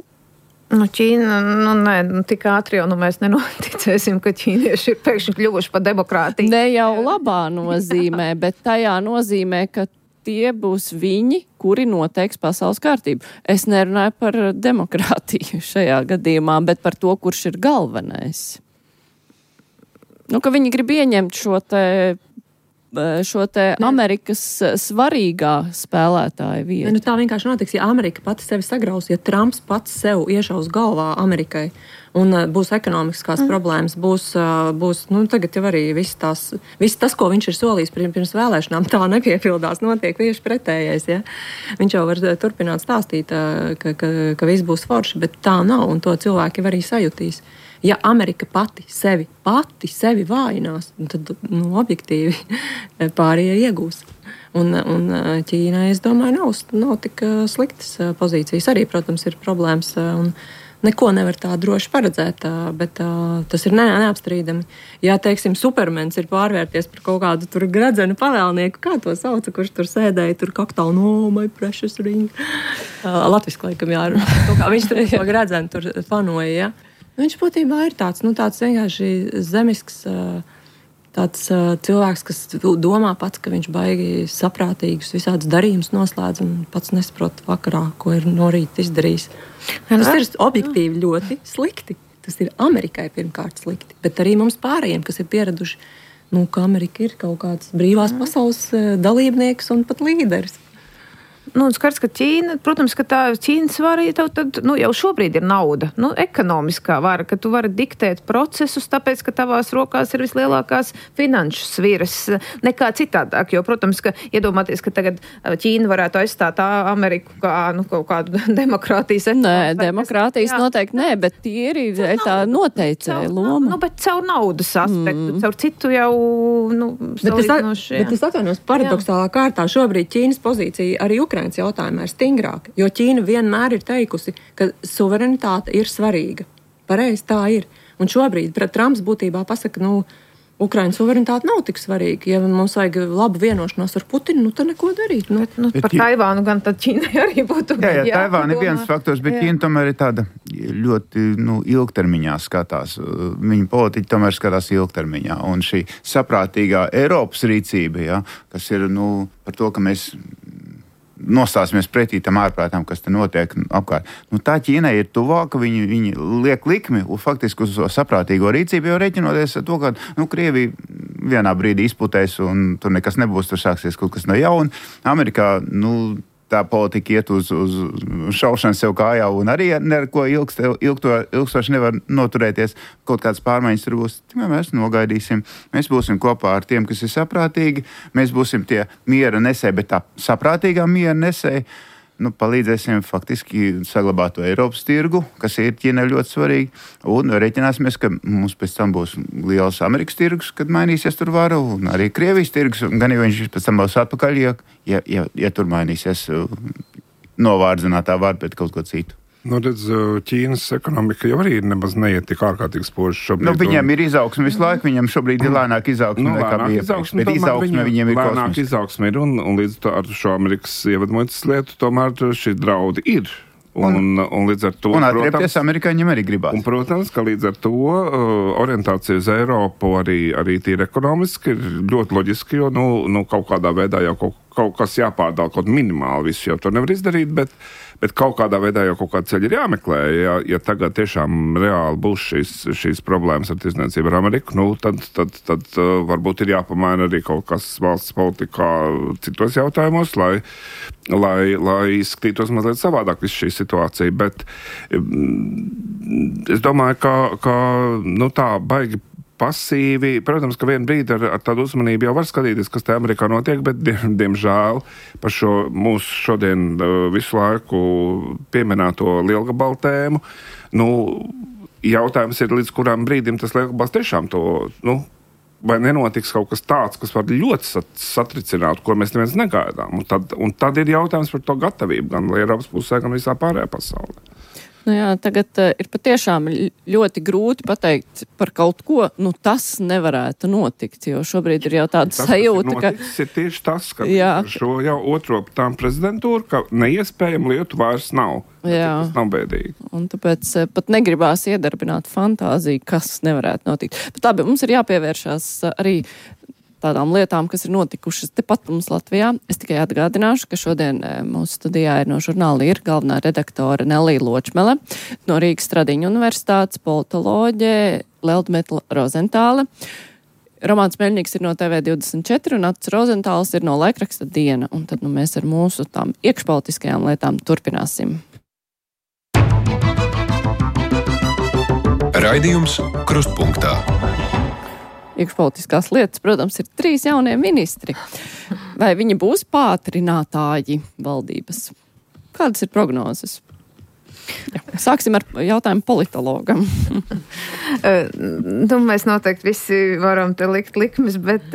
Ķīna, tik ātri jau mēs nenoticēsim, ka ķīnieši ir pēkšņi kļuvuši par demokrātiju. Ne jau labā nozīmē, bet tajā nozīmē, ka tie būs viņi, kuri noteiks pasaules kārtību. Es nerunāju par demokrātiju šajā gadījumā, bet par to, kurš ir galvenais. Ka viņi grib ieņemt šo te Amerikas svarīgā spēlētāja vietu. Tā vienkārši notiks, ja Amerika pati sevi sagraus, ja Trumps pats sev iešaus galvā Amerikai. Un būs ekonomiskās problēmas, būs tagad jau arī viss tas, ko viņš ir solījis pirms vēlēšanām, tā nepiepildās, notiek tieši pretējais, ja? Viņš jau var turpināt stāstīt, ka viss būs forši, bet tā nav, un to cilvēki arī sajutīs. Ja Amerika pati sevi vājinās, tad, objektīvi pārējie iegūs. Un Ķīnai, es domāju, nav tik sliktas pozīcijas. Arī, protams, ir problēmas, un neko nevar tā droši paredzēt, bet tas ir neapstrīdami. Ja, teiksim, Supermens ir pārvērties par kaut kādu tur gredzenu pavēlnieku, kā to sauca, kurš tur sēdēja, tur kaktālu, my precious ring. Latviski laikam jārunā. Viņš tur to gredzenu tur fanoja, ja. Viņš būtībā ir tāds vienkārši zemisks tāds cilvēks, kas domā pats, ka viņš baigi saprātīgus visādus darījumus noslēdz un pats nesaprot vakarā, ko ir no rīta izdarījis. Tas ir objektīvi ļoti slikti. Tas ir Amerikai pirmkārt slikti, bet arī mums pārējiem, kas ir pieraduši, ka Amerika ir kaut kāds brīvās pasaules dalībnieks un pat līderis. Skats, ka Ķīna, protams, ka tā Ķīnas vara jau šobrīd ir nauda, ekonomiskā vara, ka tu vari diktēt procesus, tāpēc, ka tavās rokās ir vislielākās finanšu sviras nekā citādāk, jo, protams, ka iedomāties, ka tagad Ķīna varētu aizstāt Ameriku kā, kaut kādu demokrātijas Nē, demokrātijas noteikti nē, bet tie ir tā noteicēja loma. Bet caur naudas aspektu, caur citu jau, Bet es atvainojos paradoxālā kārtā šobrīd Ķīnas pozīcija arī Ukrainas jautājumā ir stingrāka, jo Ķīna vienmēr ir teikusi, ka suverenitāte ir svarīga. Pareizi tā ir. Un šobrīd Trumps būtībā pasaka, Ukrainas suverenitāte nav tik svarīga. Ja mums vajag labu vienošanos ar Putinu, tad neko darīt. Par Taivānu gan tad Ķīnai arī būtu. Jā, Taivāna ir viens faktors, bet Ķīna tomēr ir tāda ļoti ilgtermiņā skatās. Viņa politiķi tomēr skatās ilgtermiņā. Un šī saprātīgā Eiropas rīcība, kas ir par to, ka mēs nostāsimies pretī tam ārprātām, kas te notiek apkārt. Tā Ķīnai ir tuvāka, viņi liek likmi faktiski uz saprātīgo rīcību, jo reķinoties ar to, ka Krievija vienā brīdī izputēs un tur nekas nebūs, tur sāksies kaut kas no jauna. Amerikā, tā politika iet uz šaušanu sev kājā un arī neko ilgstoši nevar noturēties. Kaut kādas pārmaiņas tur būs. Mēs nogaidīsim. Mēs būsim kopā ar tiem, kas ir saprātīgi. Mēs būsim tie miera nesēji, bet tā saprātīgā miera nesēji. Palīdzēsim faktiski saglabāt to Eiropas tirgu, kas ir Ķīnai ļoti svarīgi. Un reiķināsimies, ka mums pēc tam būs liels Amerikas tirgus, kad mainīsies tur vara, un arī Krievijas tirgus. Gan jau viņš pēc tam būs atpakaļ, ja tur mainīsies novārdzinātā vara pret kaut ko citu. Redz, Ķīnas ekonomika jau arī nemaz neiet tik ārkārtīgi spoži šobrīd. Viņiem ir izaugsme visu laiku, viņiem šobrīd ir lēnāk izaugsme nekā bija iepriekš. Bet izaugsme viņiem ir kosmiska. Lēnāk izaugsme ir, un līdz ar šo Amerikas ievedmuitas lietu tomēr šī draudi ir. Un līdz ar to, un atriepties amerikāņiem arī gribās. Un, protams, ka līdz ar to orientācija uz Eiropu arī tīri ekonomiski ir ļoti loģiski, jo kaut kādā veidā jau kaut kas jāpārdala, kaut minimāli visu jau to nevar izdarīt, bet kaut kādā veidā jau kaut kāda ceļa ir jāmeklē. Ja tagad tiešām reāli būs šīs problēmas ar tirdzniecību ar Ameriku, tad varbūt ir jāpamaina arī kaut kas valsts politikā citos jautājumos, lai izskatītos mazliet savādāk visu šī situācija. Bet es domāju, ka tā baigi pasīvi. Protams, ka vienu brīdi ar tādu uzmanību jau var skatīties, kas te Amerikā notiek, bet diemžēl par šo mūsu šodien visu laiku pieminēto lielgabalu tēmu, jautājums ir, līdz kurām brīdim tas lielgabals tiešām to, vai nenotiks kaut kas tāds, kas var ļoti satricināt, ko mēs neviens negaidām. Un tad ir jautājums par to gatavību, gan Eiropas pusē, gan visā pārējā pasaulē. Tagad ir patiešām ļoti grūti pateikt par kaut ko, tas nevarētu notikt, jo šobrīd ir jau tāda sajūta, ka... Tas ir tieši tas, ka šo jau otro tām prezidentūru, ka neiespējama lietu vairs nav. Tas nav bēdīgi. Un tāpēc pat negribās iedarbināt fantāziju, kas nevarētu notikt. Bet labi, mums ir jāpievēršās arī tādām lietām, kas ir notikušas tepat mums Latvijā. Es tikai atgādināšu, ka šodien mūsu studijā ir no žurnāla ir galvenā redaktore Nelija Ločmele, no Rīgas Stradiņu universitātes politoloģe Leldmeta Rozentāle. Romāns Meļņiks ir no TV24 un Ats Rozentāls ir no laikraksta Diena. Un tad mēs ar mūsu tām iekšpolitiskajām lietām turpināsim. Raidījums Krustpunktā. Iekšpolitiskās lietas, protams, ir 3 jaunie ministri. Vai viņi būs pātrinātāji valdības? Kādas ir prognozes? Sāksim ar jautājumu politologam. Mēs noteikti visi varam te likt likmes, bet...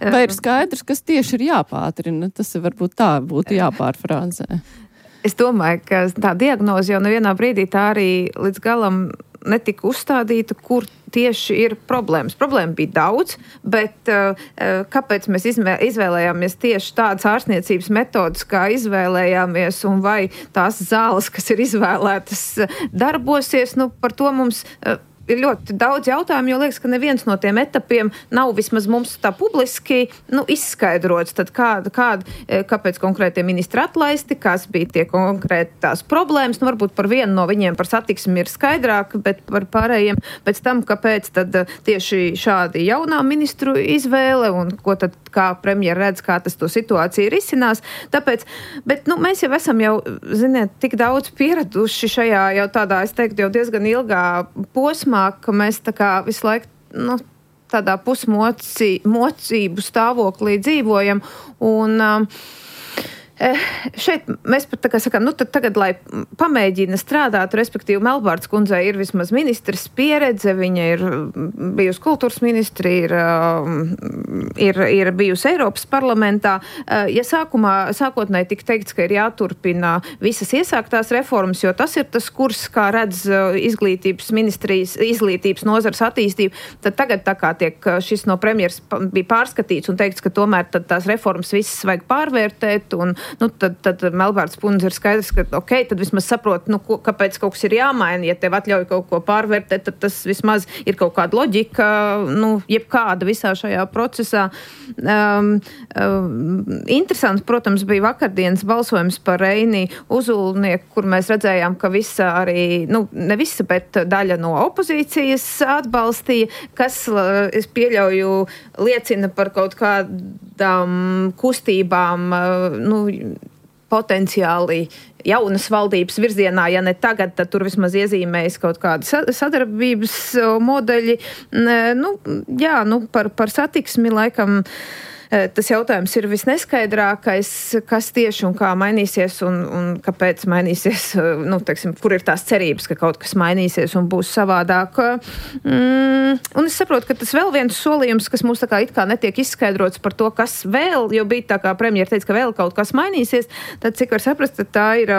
Vai ir skaidrs, kas tieši ir jāpātrina? Tas varbūt tā būtu jāpārfrāzē. Es domāju, ka tā diagnoze jau nevienā brīdī tā arī līdz galam netika uzstādīta, kur tieši ir problēmas. Problēma bija daudz, bet kāpēc mēs izvēlējāmies tieši tādas ārstniecības metodas, kā izvēlējāmies, un vai tās zāles, kas ir izvēlētas, darbosies, par to mums... Ir ļoti daudz jautājumu, jo liekas, ka neviens no tiem etapiem nav vismaz mums tā publiski izskaidrots. Tad kāpēc konkrētie ministri atlaisti, kas bija tie konkrētās problēmas. Varbūt par vienu no viņiem par satiksmi ir skaidrāk, bet par pārējiem pēc tam, kāpēc tad tieši šādi jaunā ministru izvēle un ko tad kā premjera redz, kā tas to situāciju risinās. Tāpēc, bet mēs jau esam tik daudz pieraduši šajā jau tādā, es teiktu, jau diezgan ilgā posmā, ka mēs tā kā visu laiku tādā pusmocību stāvoklī dzīvojam. Un šeit mēs pat tā kā sakām, tad tagad, lai pamēģina strādāt, respektīvi Melbārdas kundzei ir vismaz ministres pieredze, viņa ir bijusi kultūras ministri, ir bijusi Eiropas parlamentā. Ja sākotnēji tika teikts, ka ir jāturpina visas iesāktās reformas, jo tas ir tas kurs, kā redz izglītības ministrijas, izglītības nozars attīstību, tad tagad tā kā šis no premjeras bija pārskatīts un teikts, ka tomēr tad tās reformas visas vajag pārvērtēt un tad Melbārdas kundze ir skaidrs, ka tad vismaz saprot, kāpēc kaut kas ir jāmaina. Ja tev atļauj kaut ko pārvērtēt, tad tas vismaz ir kaut kāda loģika, jebkāda visā šajā procesā. Interesants, protams, bija vakardienas balsojums par Reini Uzulnieku, kur mēs redzējām, ka visa arī, ne visa, bet daļa no opozīcijas atbalstīja, kas, es pieļauju, liecina par kaut kādām kustībām, potenciāli jaunas valdības virzienā, ja ne tagad, tad tur vismaz iezīmējas kaut kādi sadarbības modeļi. Par satiksmi laikam tas jautājums ir visneskaidrākais, kas tieši un kā mainīsies un kāpēc mainīsies, kur ir tās cerības, ka kaut kas mainīsies un būs savādāk. Un es saprotu, ka tas vēl viens solījums, kas mums tā kā it kā netiek izskaidrots par to, kas vēl, jo bija tā kā premjera teica, ka vēl kaut kas mainīsies, tad cik var saprast, tad tā ir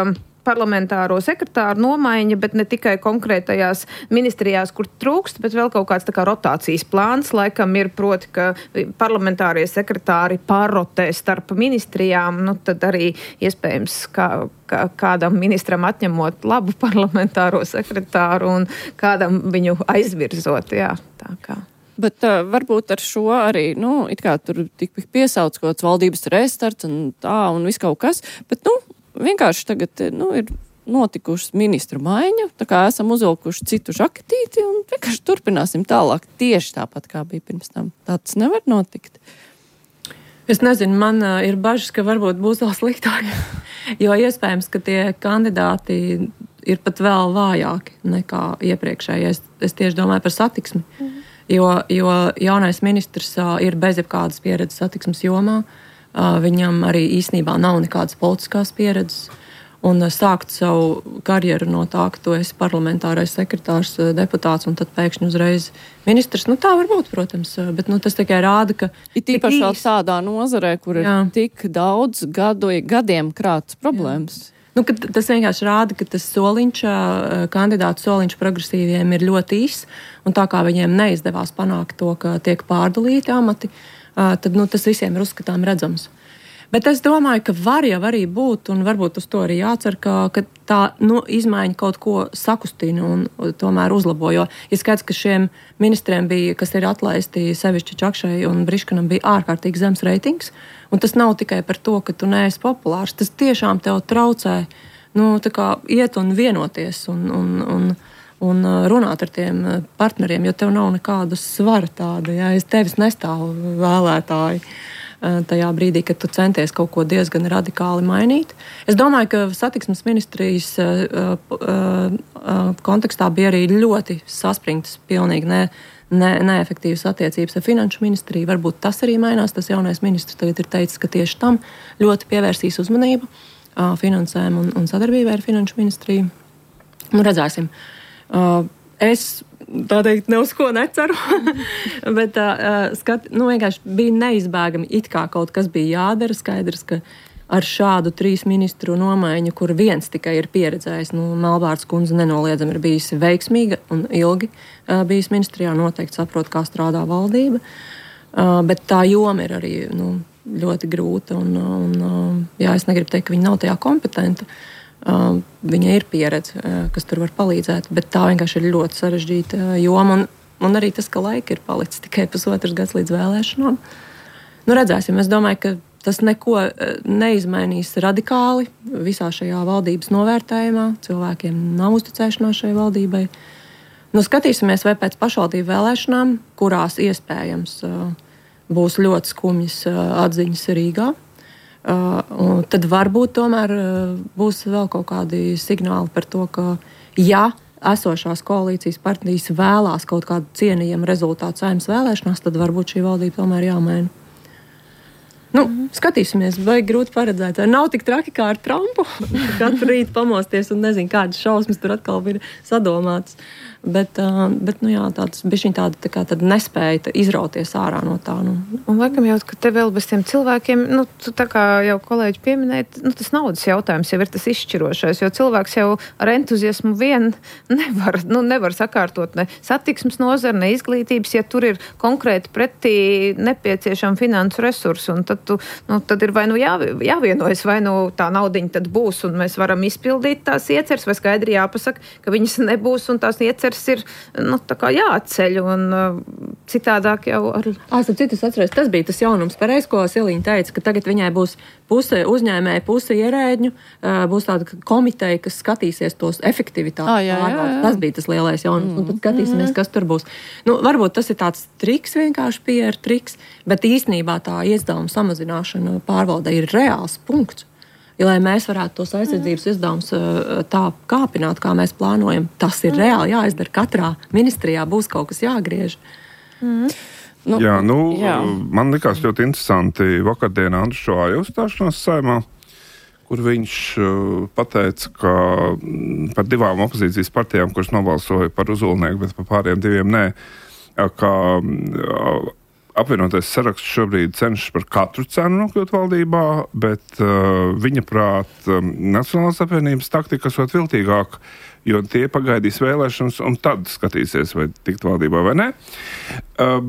parlamentāro sekretāru nomaiņa, bet ne tikai konkrētajās ministrijās, kur trūkst, bet vēl kaut kāds tā kā rotācijas plāns, laikam ir proti, ka parlamentārie sekretāri pārrotē starp ministrijām, tad arī iespējams kādam ministram atņemot labu parlamentāro sekretāru un kādam viņu aizvirzot, jā, tā kā. Bet varbūt ar šo arī, it kā tur tik piesauc kaut kāds valdības restarts un tā un viss kaut kas, bet, vienkārši tagad, ir notikušas ministru maiņa, tā kā esam uzvilkuši citu žaketīti un vienkārši turpināsim tālāk tieši tāpat, kā bija pirms tam. Tāds nevar notikt. Es nezinu, man ir bažas, ka varbūt būs vēl sliktāk, jo iespējams, ka tie kandidāti ir pat vēl vājāki nekā iepriekšējais. Es tieši domāju par satiksmi, jo jaunais ministrs ir bez jebkādas pieredzes satiksmes jomā. Viņam arī īstenībā nav nekādas politiskās pieredzes. Un sākt savu karjeru no tā, ka tu esi parlamentārais sekretārs, deputāts un tad pēkšņi uzreiz ministrs. Tā var būt, protams, bet tas tikai rāda, ka... Ir īpaši tādā nozarē, kur ir tik daudz gadiem krātas problēmas. Tas vienkārši rāda, ka tas soliņš, kandidātu soliņš progresīviem ir ļoti īss, un tā kā viņiem neizdevās panākt to, ka tiek pārdalīti amati, tad tas visiem ir uzskatām redzams. Bet es domāju, ka var jau arī būt, un varbūt uz to arī jācer, ka tā izmaiņa kaut ko sakustina un tomēr uzlabo. Jo ir skaidrs, ka šiem ministriem bija, kas ir atlaisti sevišķi Čakšai un Briškanam, bija ārkārtīgi zems reitings. Un tas nav tikai par to, ka tu neesi populārs. Tas tiešām tev traucē iet un vienoties un runāt ar tiem partneriem, jo tev nav nekāda svara tāda. Ja? Es tevis nestāvu vēlētāji tajā brīdī, kad tu centies kaut ko diezgan radikāli mainīt. Es domāju, ka satiksmes ministrijas kontekstā bija arī ļoti saspringtas, pilnīgi neefektīvas attiecības ar finanšu ministriju. Varbūt tas arī mainās. Tas jaunais ministrs tagad ir teicis, ka tieši tam ļoti pievērsīs uzmanību finansēm un sadarbībai ar finanšu ministriju. Redzēsim. Es tā teikt, ne uz ko neceru, bet vienkārši bija neizbēgami, it kā kaut kas bija jādara. Skaidrs, ka ar šādu 3 ministru nomaiņu, kur viens tikai ir pieredzējis, Melbārdas kundze nenoliedzami ir bijusi veiksmīga un ilgi bijis ministrijā, noteikti saprot, kā strādā valdība, bet tā joma ir arī ļoti grūta un es negribu teikt, ka viņa nav tajā kompetenta. Viņa ir pieredze, kas tur var palīdzēt, bet tā vienkārši ir ļoti sarežģīta joma, un arī tas, ka laika ir palicis tikai pusotrs gads līdz vēlēšanām. Redzēsim, es domāju, ka tas neko neizmainīs radikāli visā šajā valdības novērtējumā. Cilvēkiem nav uzticēšanās šai valdībai. Skatīsimies, vai pēc pašvaldību vēlēšanām, kurās iespējams būs ļoti skumjas atziņas Rīgā, tad varbūt tomēr būs vēl kaut kādi signāli par to, ka ja esošās koalīcijas partijas vēlās kaut kādu cienījumu rezultātu Saeimas vēlēšanās, tad varbūt šī valdība tomēr jāmaina. Skatīsimies, vai grūti paredzēt. Nav tik traki kā ar Trumpu. Katru rītu pamosties un nezinu, kādas šausmas tur atkal ir sadomātas. Bet tāds bišķiņ tāda nespēja izrauties ārā no tā. Un laikam jau, ka te vēl bez tiem cilvēkiem, tā kā jau kolēģi pieminēt, tas naudas jautājums jau ir tas izšķirošais, jo cilvēks jau ar entuziasmu vien nevar sakārtot ne satiksmes nozari, ne izglītības, ja tur ir konkrēti pretī nepieciešami finansu resursi, un tad ir vai jāvienojas, vai tā naudiņa tad būs, un mēs varam izpildīt tās ieceres, vai skaidri jāpasaka, ka viņas nebūs, un tās ieceres ir jāatceļ, un citādāk jau ar... Tas bija tas jaunums pareiz, ko Siliņa teica, ka tagad viņai būs puse uzņēmēja, puse ierēģņu, būs tāda komiteja, kas skatīsies tos efektivitātes. Tas bija tas lielais jaunums, un tad skatīsimies, kas tur būs. Varbūt tas ir tāds triks, vienkārši PR triks, bet īstenībā tā izdevuma samazināšana pārvaldē ir reāls punkts. Ja, lai mēs varētu tos aizsardzības izdevumus tā kāpināt, kā mēs plānojam, tas ir reāli jāizdara. Katrā ministrijā būs kaut kas jāgriež. Jā, man likās ļoti interesanti vakardienā Andris Šoāja uzstāšanās Saeimā, kur viņš pateica, ka par 2 opozīcijas partijām, kuras nobalsoja par Uzulnieku, bet par pārējiem 2 nē, ka apvienotais saraksts šobrīd cenšas par katru cenu nokļūt valdībā, bet viņa prāt Nacionālās apvienības taktika esot viltīgāk, jo tie pagaidīs vēlēšanas un tad skatīsies, vai tikt valdībā vai ne.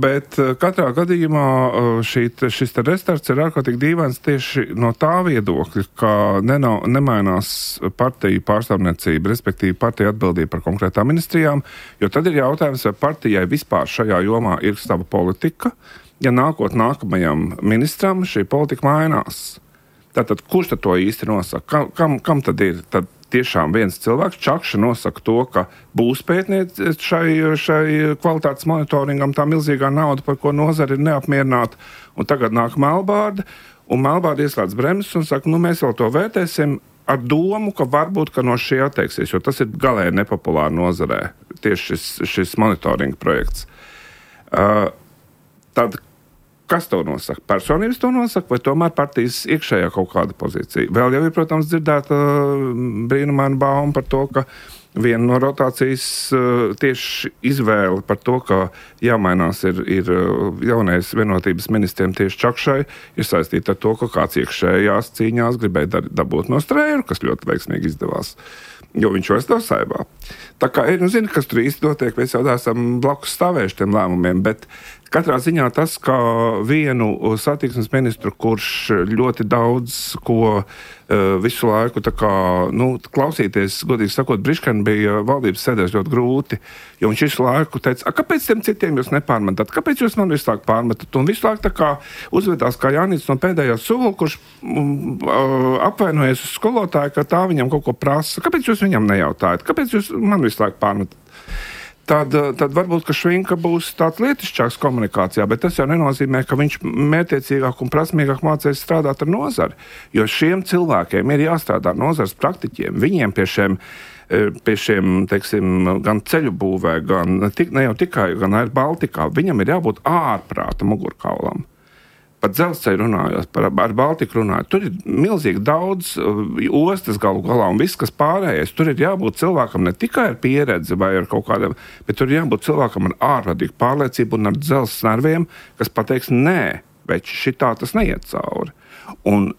Bet katrā gadījumā šis restarts ir ārkārtīgi dīvains tieši no tā viedokļa, ka nemainās partiju pārstāvniecība, respektīvi partija atbildība par konkrētām ministrijām, jo tad ir jautājums, vai partijai vispār šajā jomā ir sava politika, ja nākamajam ministram šī politika mainās. Tātad, kurš tad to īsti nosaka? Kam tad ir? Tad tiešām viens cilvēks, Čakša, nosaka to, ka būs pētniec šai kvalitātes monitoringam tā milzīgā nauda, par ko nozara ir neapmierināta, un tagad nāk Melbārda, un Melbārda ieslēdz bremzes un saka, mēs vēl to vērtēsim ar domu, ka varbūt, ka no šī atteiksies, jo tas ir galēji nepopulāri nozarē, tieši šis monitoringa projekts. Tad kas to nosaka? Personības to nosaka, vai tomēr partijas iekšējā kaut kāda pozīcija? Vēl jau ir, protams, dzirdēta brīnumaina bauma par to, ka viena no rotācijas tieši izvēle par to, ka jāmainās ir jaunais vienotības ministriem tieši Čakšai, ir saistīta ar to, ka kāds iekšējās cīņās gribēja dabūt no Strēru, kas ļoti veiksmīgi izdevās, jo viņš vairs nav Saeimā. Tā kā zinu, kas tur īsti notiek, mēs jau esam blakus stāvējuši tiem lēmumiem, bet katrā ziņā tas, ka vienu satiksmes ministru, kurš ļoti daudz ko visu laiku klausīties, godīgi sakot, Briškani bija valdības sēdēs ļoti grūti, jo viņš visu laiku teica, kāpēc tiem citiem jūs nepārmetat, kāpēc jūs man visu laiku pārmetat, un visu laiku tā kā uzvedās kā Jānis no pēdējā sula, kurš apvainojies uz skolotāju, ka tā viņam kaut ko prasa, kāpēc jūs viņam nejautājat, kāpēc jūs man visu laiku pārmetat. Tad varbūt, ka Švinka būs tāds lietišķāks komunikācijā, bet tas jau nenozīmē, ka viņš mērķiecīgāk un prasmīgāk mācīs strādāt ar nozari. Jo šiem cilvēkiem ir jāstrādā ar nozares praktiķiem. Viņiem pie šiem, teiksim, gan ceļu būvē, ne jau tikai, gan Air Baltikā, viņam ir jābūt ārprāta mugurkaulam. Par dzelzceļu runājot, ar Baltiku runājot, tur ir milzīgi daudz ostas galu galā un viss, kas pārējais. Tur ir jābūt cilvēkam ne tikai ar pieredzi vai ar kaut kādiem, bet tur ir jābūt cilvēkam ar ārvadīgu pārliecību un ar dzelzs nerviem, kas pateiks, nē, veči, šitā tas neiet cauri. Un,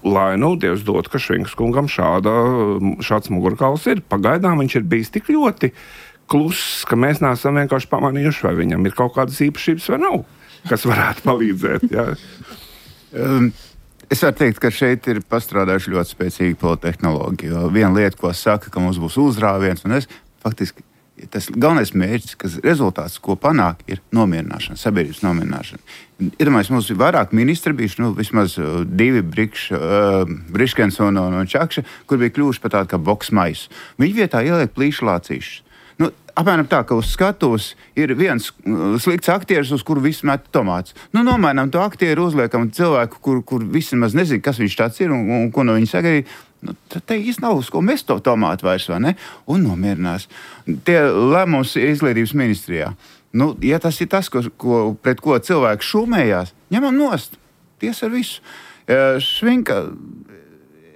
lai Dievs dod, ka Švinkas kungam šāds mugurkauls ir. Pagaidām viņš ir bijis tik ļoti kluss, ka mēs neesam vienkārši pamanījuši, vai viņam ir kaut kādas īpašības vai nav, kas varētu palīdzēt. Jā. Es varu teikt, ka šeit ir pastrādājuši ļoti spēcīgi politehnoloģi. Viena lieta, ko saka, ka mums būs uzrāviens, un faktiski tas galvenais mērķis, kas rezultāts, ko panāk, ir nomierināšana, sabiedrības nomierināšana. Iedomājieties, mums ir vairāk ministri bijuši, vismaz 2 Briškens un Čakša, kur bija kļuvuši par tādu kā boksmaisu. Viņi vietā ieliek plīšu lācīšus. Apmēram tā, ka uz skatuves ir viens slikts aktieris, uz kuru visi met tomātus. Nomainām to aktieru, uzliekam cilvēku, kur visi maz nezina, kas viņš tāds ir un ko no viņa sagaidīt. Tad te īsti nav uz ko mest to tomātu vairs, vai ne? Un nomierinās. Tie lēmums izglītības ministrijā. Ja tas ir tas, pret ko cilvēki šūmējās, ņemam nost. Ties ar visu. Švinka...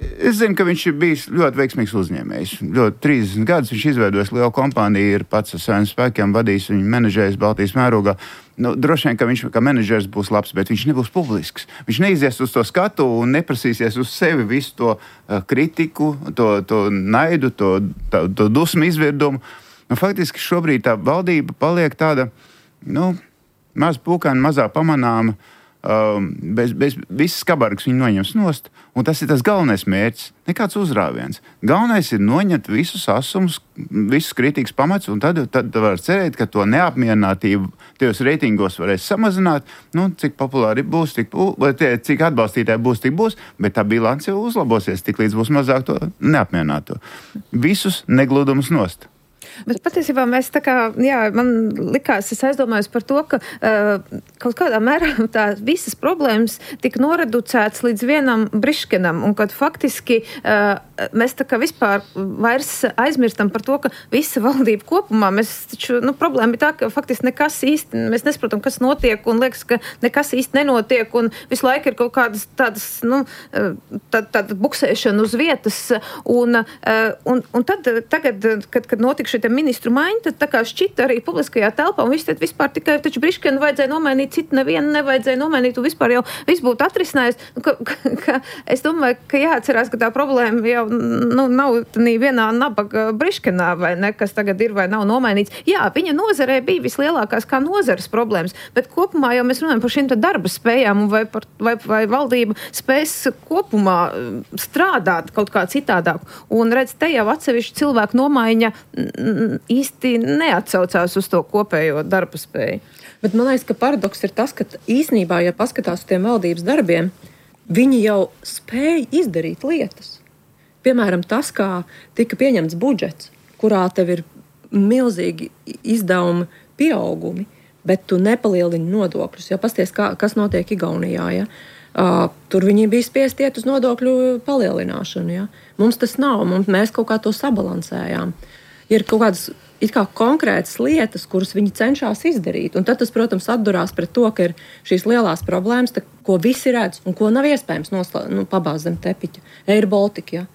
Es zinu, ka viņš ir bijis ļoti veiksmīgs uzņēmējs. 30 gadus viņš izveidojis lielu kompāniju, ir pats ar saviem spēkiem vadījis viņu menedžējis Baltijas mērogā. Droši vien, ka viņš kā menedžers būs labs, bet viņš nebūs publisks. Viņš neizies uz to skatu un neprasīsies uz sevi visu to kritiku, to naidu, to dusmu izvirdumu. Faktiski šobrīd tā valdība paliek tāda, maz pūkaina, mazā pamanāma, bez visas kabargas viņi noņems nost, un tas ir tas galvenais mērķis, nekāds uzrāviens. Galvenais ir noņemt visus asumus, visus kritīgas pamats, un tad var cerēt, ka to neapmierinātību tajos reitingos varēs samazināt, cik populāri būs, cik atbalstītāji būs, tik būs, bet tā bilance jau uzlabosies, tik līdz būs mazāk to neapmierināto. Visus negludumus nost. Bet patiesībā mēs tā kā, man likās, es aizdomājos par to, ka kaut kādā mērā tā visas problēmas tika noreducētas līdz vienam Briškenam, un kad faktiski mēs tā kā vispār vairs aizmirstam par to, ka visa valdība kopumā, mēs taču, problēma ir tā, ka faktiski nekas īsti, mēs nesaprotam, kas notiek, un liekas, ka nekas īsti nenotiek, un visu laiku ir kaut kādas tādas, tāda buksēšana uz vietas, un tad tagad, kad notika šī ministru maiņa, tad tā kā šķita arī publiskajā telpā, un viss tad vispār tikai taču Briškenu vajadzēja nomainīt, citu nevienu nevajadzēja nomainīt, un vispār jau viss būtu atrisinājis. Es domāju, ka jāatcerās, ka tā problēma jau nav vienā nabaga Briškenā, vai ne, kas tagad ir vai nav nomainīts. Jā, viņa nozarē bija vislielākās kā nozares problēmas, bet kopumā jau mēs runājam par šīm darba spējām, vai valdība spēs kopumā strādāt kaut kā citādāk. Un redz, te jau atsevišķi cilvēku nomaiņa īsti neatsaucās uz to kopējo darba spēju. Bet man liekas, ka paradoks ir tas, ka īsnībā, ja paskatās uz tiem valdības darbiem, viņi jau spēja izdarīt lietas. Piemēram, tas, kā tika pieņemts budžets, kurā tev ir milzīgi izdevumi pieaugumi, bet tu nepalielini nodokļus. Ja pasties, kas notiek Igaunijā, ja? Tur viņi bija spiesti iet uz nodokļu palielināšanu. Ja? Mums tas nav, mēs kaut kā to sabalansējām. Ir kaut kādas konkrētas lietas, kuras viņi cenšas izdarīt. Un tad tas, protams, atdurās pret to, ka ir šīs lielās problēmas, ko visi redz un ko nav iespējams pabāzt zem tepiķa. Air Baltica, ja?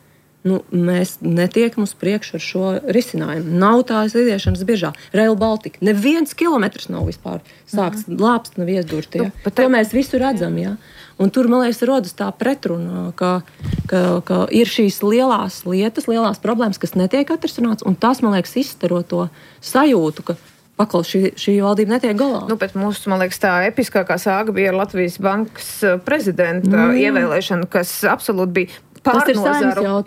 Mēs netiekam uz priekšu ar šo risinājumu. Nav tās iziešanas biežā. Rail Baltica. Neviens kilometrs nav vispār sākts, lāpst nav iesdurti. Ja? To mēs visu redzam. Ja? Un tur, man liekas, rodas tā pretruna, ka ir šīs lielās lietas, lielās problēmas, kas netiek atrisināts, un tas, man liekas, izstaro to sajūtu, ka pakal šī valdība netiek galā. Bet mūsu, man liekas, tā episkākā sāga bija ar Latvijas bankas prezidenta ievēlēšanu, kas absolūti bija pārnozaru.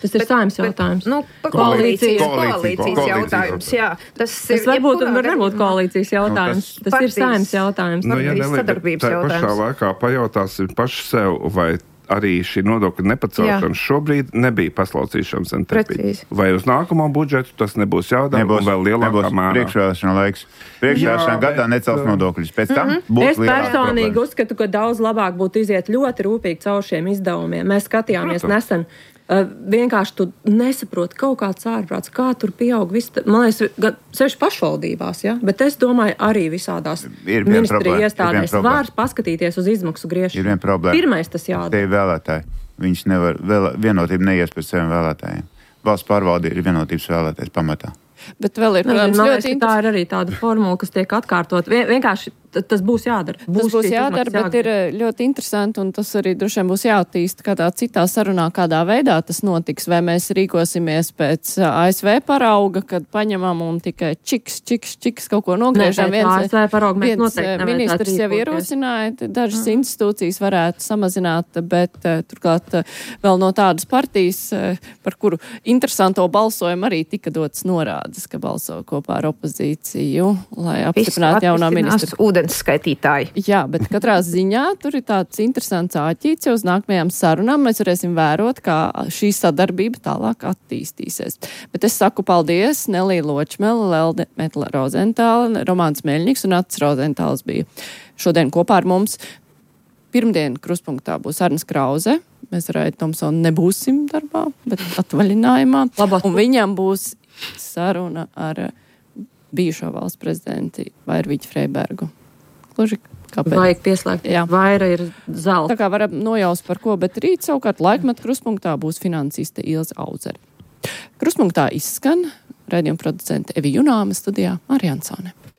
Tas ir saimnes jautājums. Koalīcijas jautājums, jā. Tas varbūt un var nebūt koalīcijas jautājums. Tas ir saimnes jautājums. Sadarbības jautājums. Pašā laikā pajautāsim paši sev, vai arī šī nodokļa nepacelšana šobrīd nebija paslaucīšanas un tepiņa. Vai uz nākamo budžetu tas nebūs jādara un vēl lielākā mērā? Priekšvēlēšana laiks. Priekšvēlēšana gadā necels nodokļus. Pēc tam būs lielākas problēmas. Es personīgi uzskatu, ka daudz labāk būtu iziet ļoti rūpīgi caur šiem izdevumiem. Mēs skatījāmies nesen. Vienkārši tu nesaproti kaut kāds ārprāts, kā tur pieaug viss. Man liekas, sevišķi pašvaldībās, ja? Bet es domāju, arī visādās ministrija iestādēs var paskatīties uz izmaksu griešanu. Ir viena problēma. Pirmais tas jādara. Tie ir vēlētāji. Viņš nevar, vienotība neies pēc saviem vēlētājiem. Valsts pārvalde ir vienotības vēlētājs pamatā. Bet vēl ir, protams, ļoti tā ir arī tāda formula, kas tiek atkārtot. Vienkārši tas būs jādara. Tas būs jādara, bet ir ļoti interesanti, un tas arī droši vien būs jāattīst kādā citā sarunā, kādā veidā tas notiks. Vai mēs rīkosimies pēc ASV parauga, kad paņemam un tikai čiks kaut ko nogriežam. ASV parauga mēs noteikti ministrs jau ierosināja, dažas institūcijas varētu samazināt, bet turklāt vēl no tādas partijas, par kuru interesanto balsojumu arī tika dots norādes, ka balso kopā ar opozīciju, lai apstiprinātu jaunā ministra. Skaitītāji. Jā, bet katrā ziņā tur ir tāds interesants āķīts, jo uz nākamajām sarunām mēs varēsim vērot, kā šī sadarbība tālāk attīstīsies. Bet es saku paldies Nelī Ločmele, Lelde Metla Rozentāla, Romāns Meļņiks un Ats Rozentāls bija šodien kopā ar mums. Pirmdien kruspunktā būs Arnis Krauze. Mēs ar Aitu Tomsonu nebūsim darbā, bet atvaļinājumā. Un viņam būs saruna ar bijušo valsts prezidenti Vairviķu Freibergu. Gluži kāpēc? Vajag pieslēgt. Jā. Vaira ir zelta. Tā kā varam nojaust par ko, bet rīt savukārt laikmetu kruspunktā būs finansiste Ilze Auzere. Kruspunktā izskan raidījuma producente Evi Junāma, studijā Māri Ansone.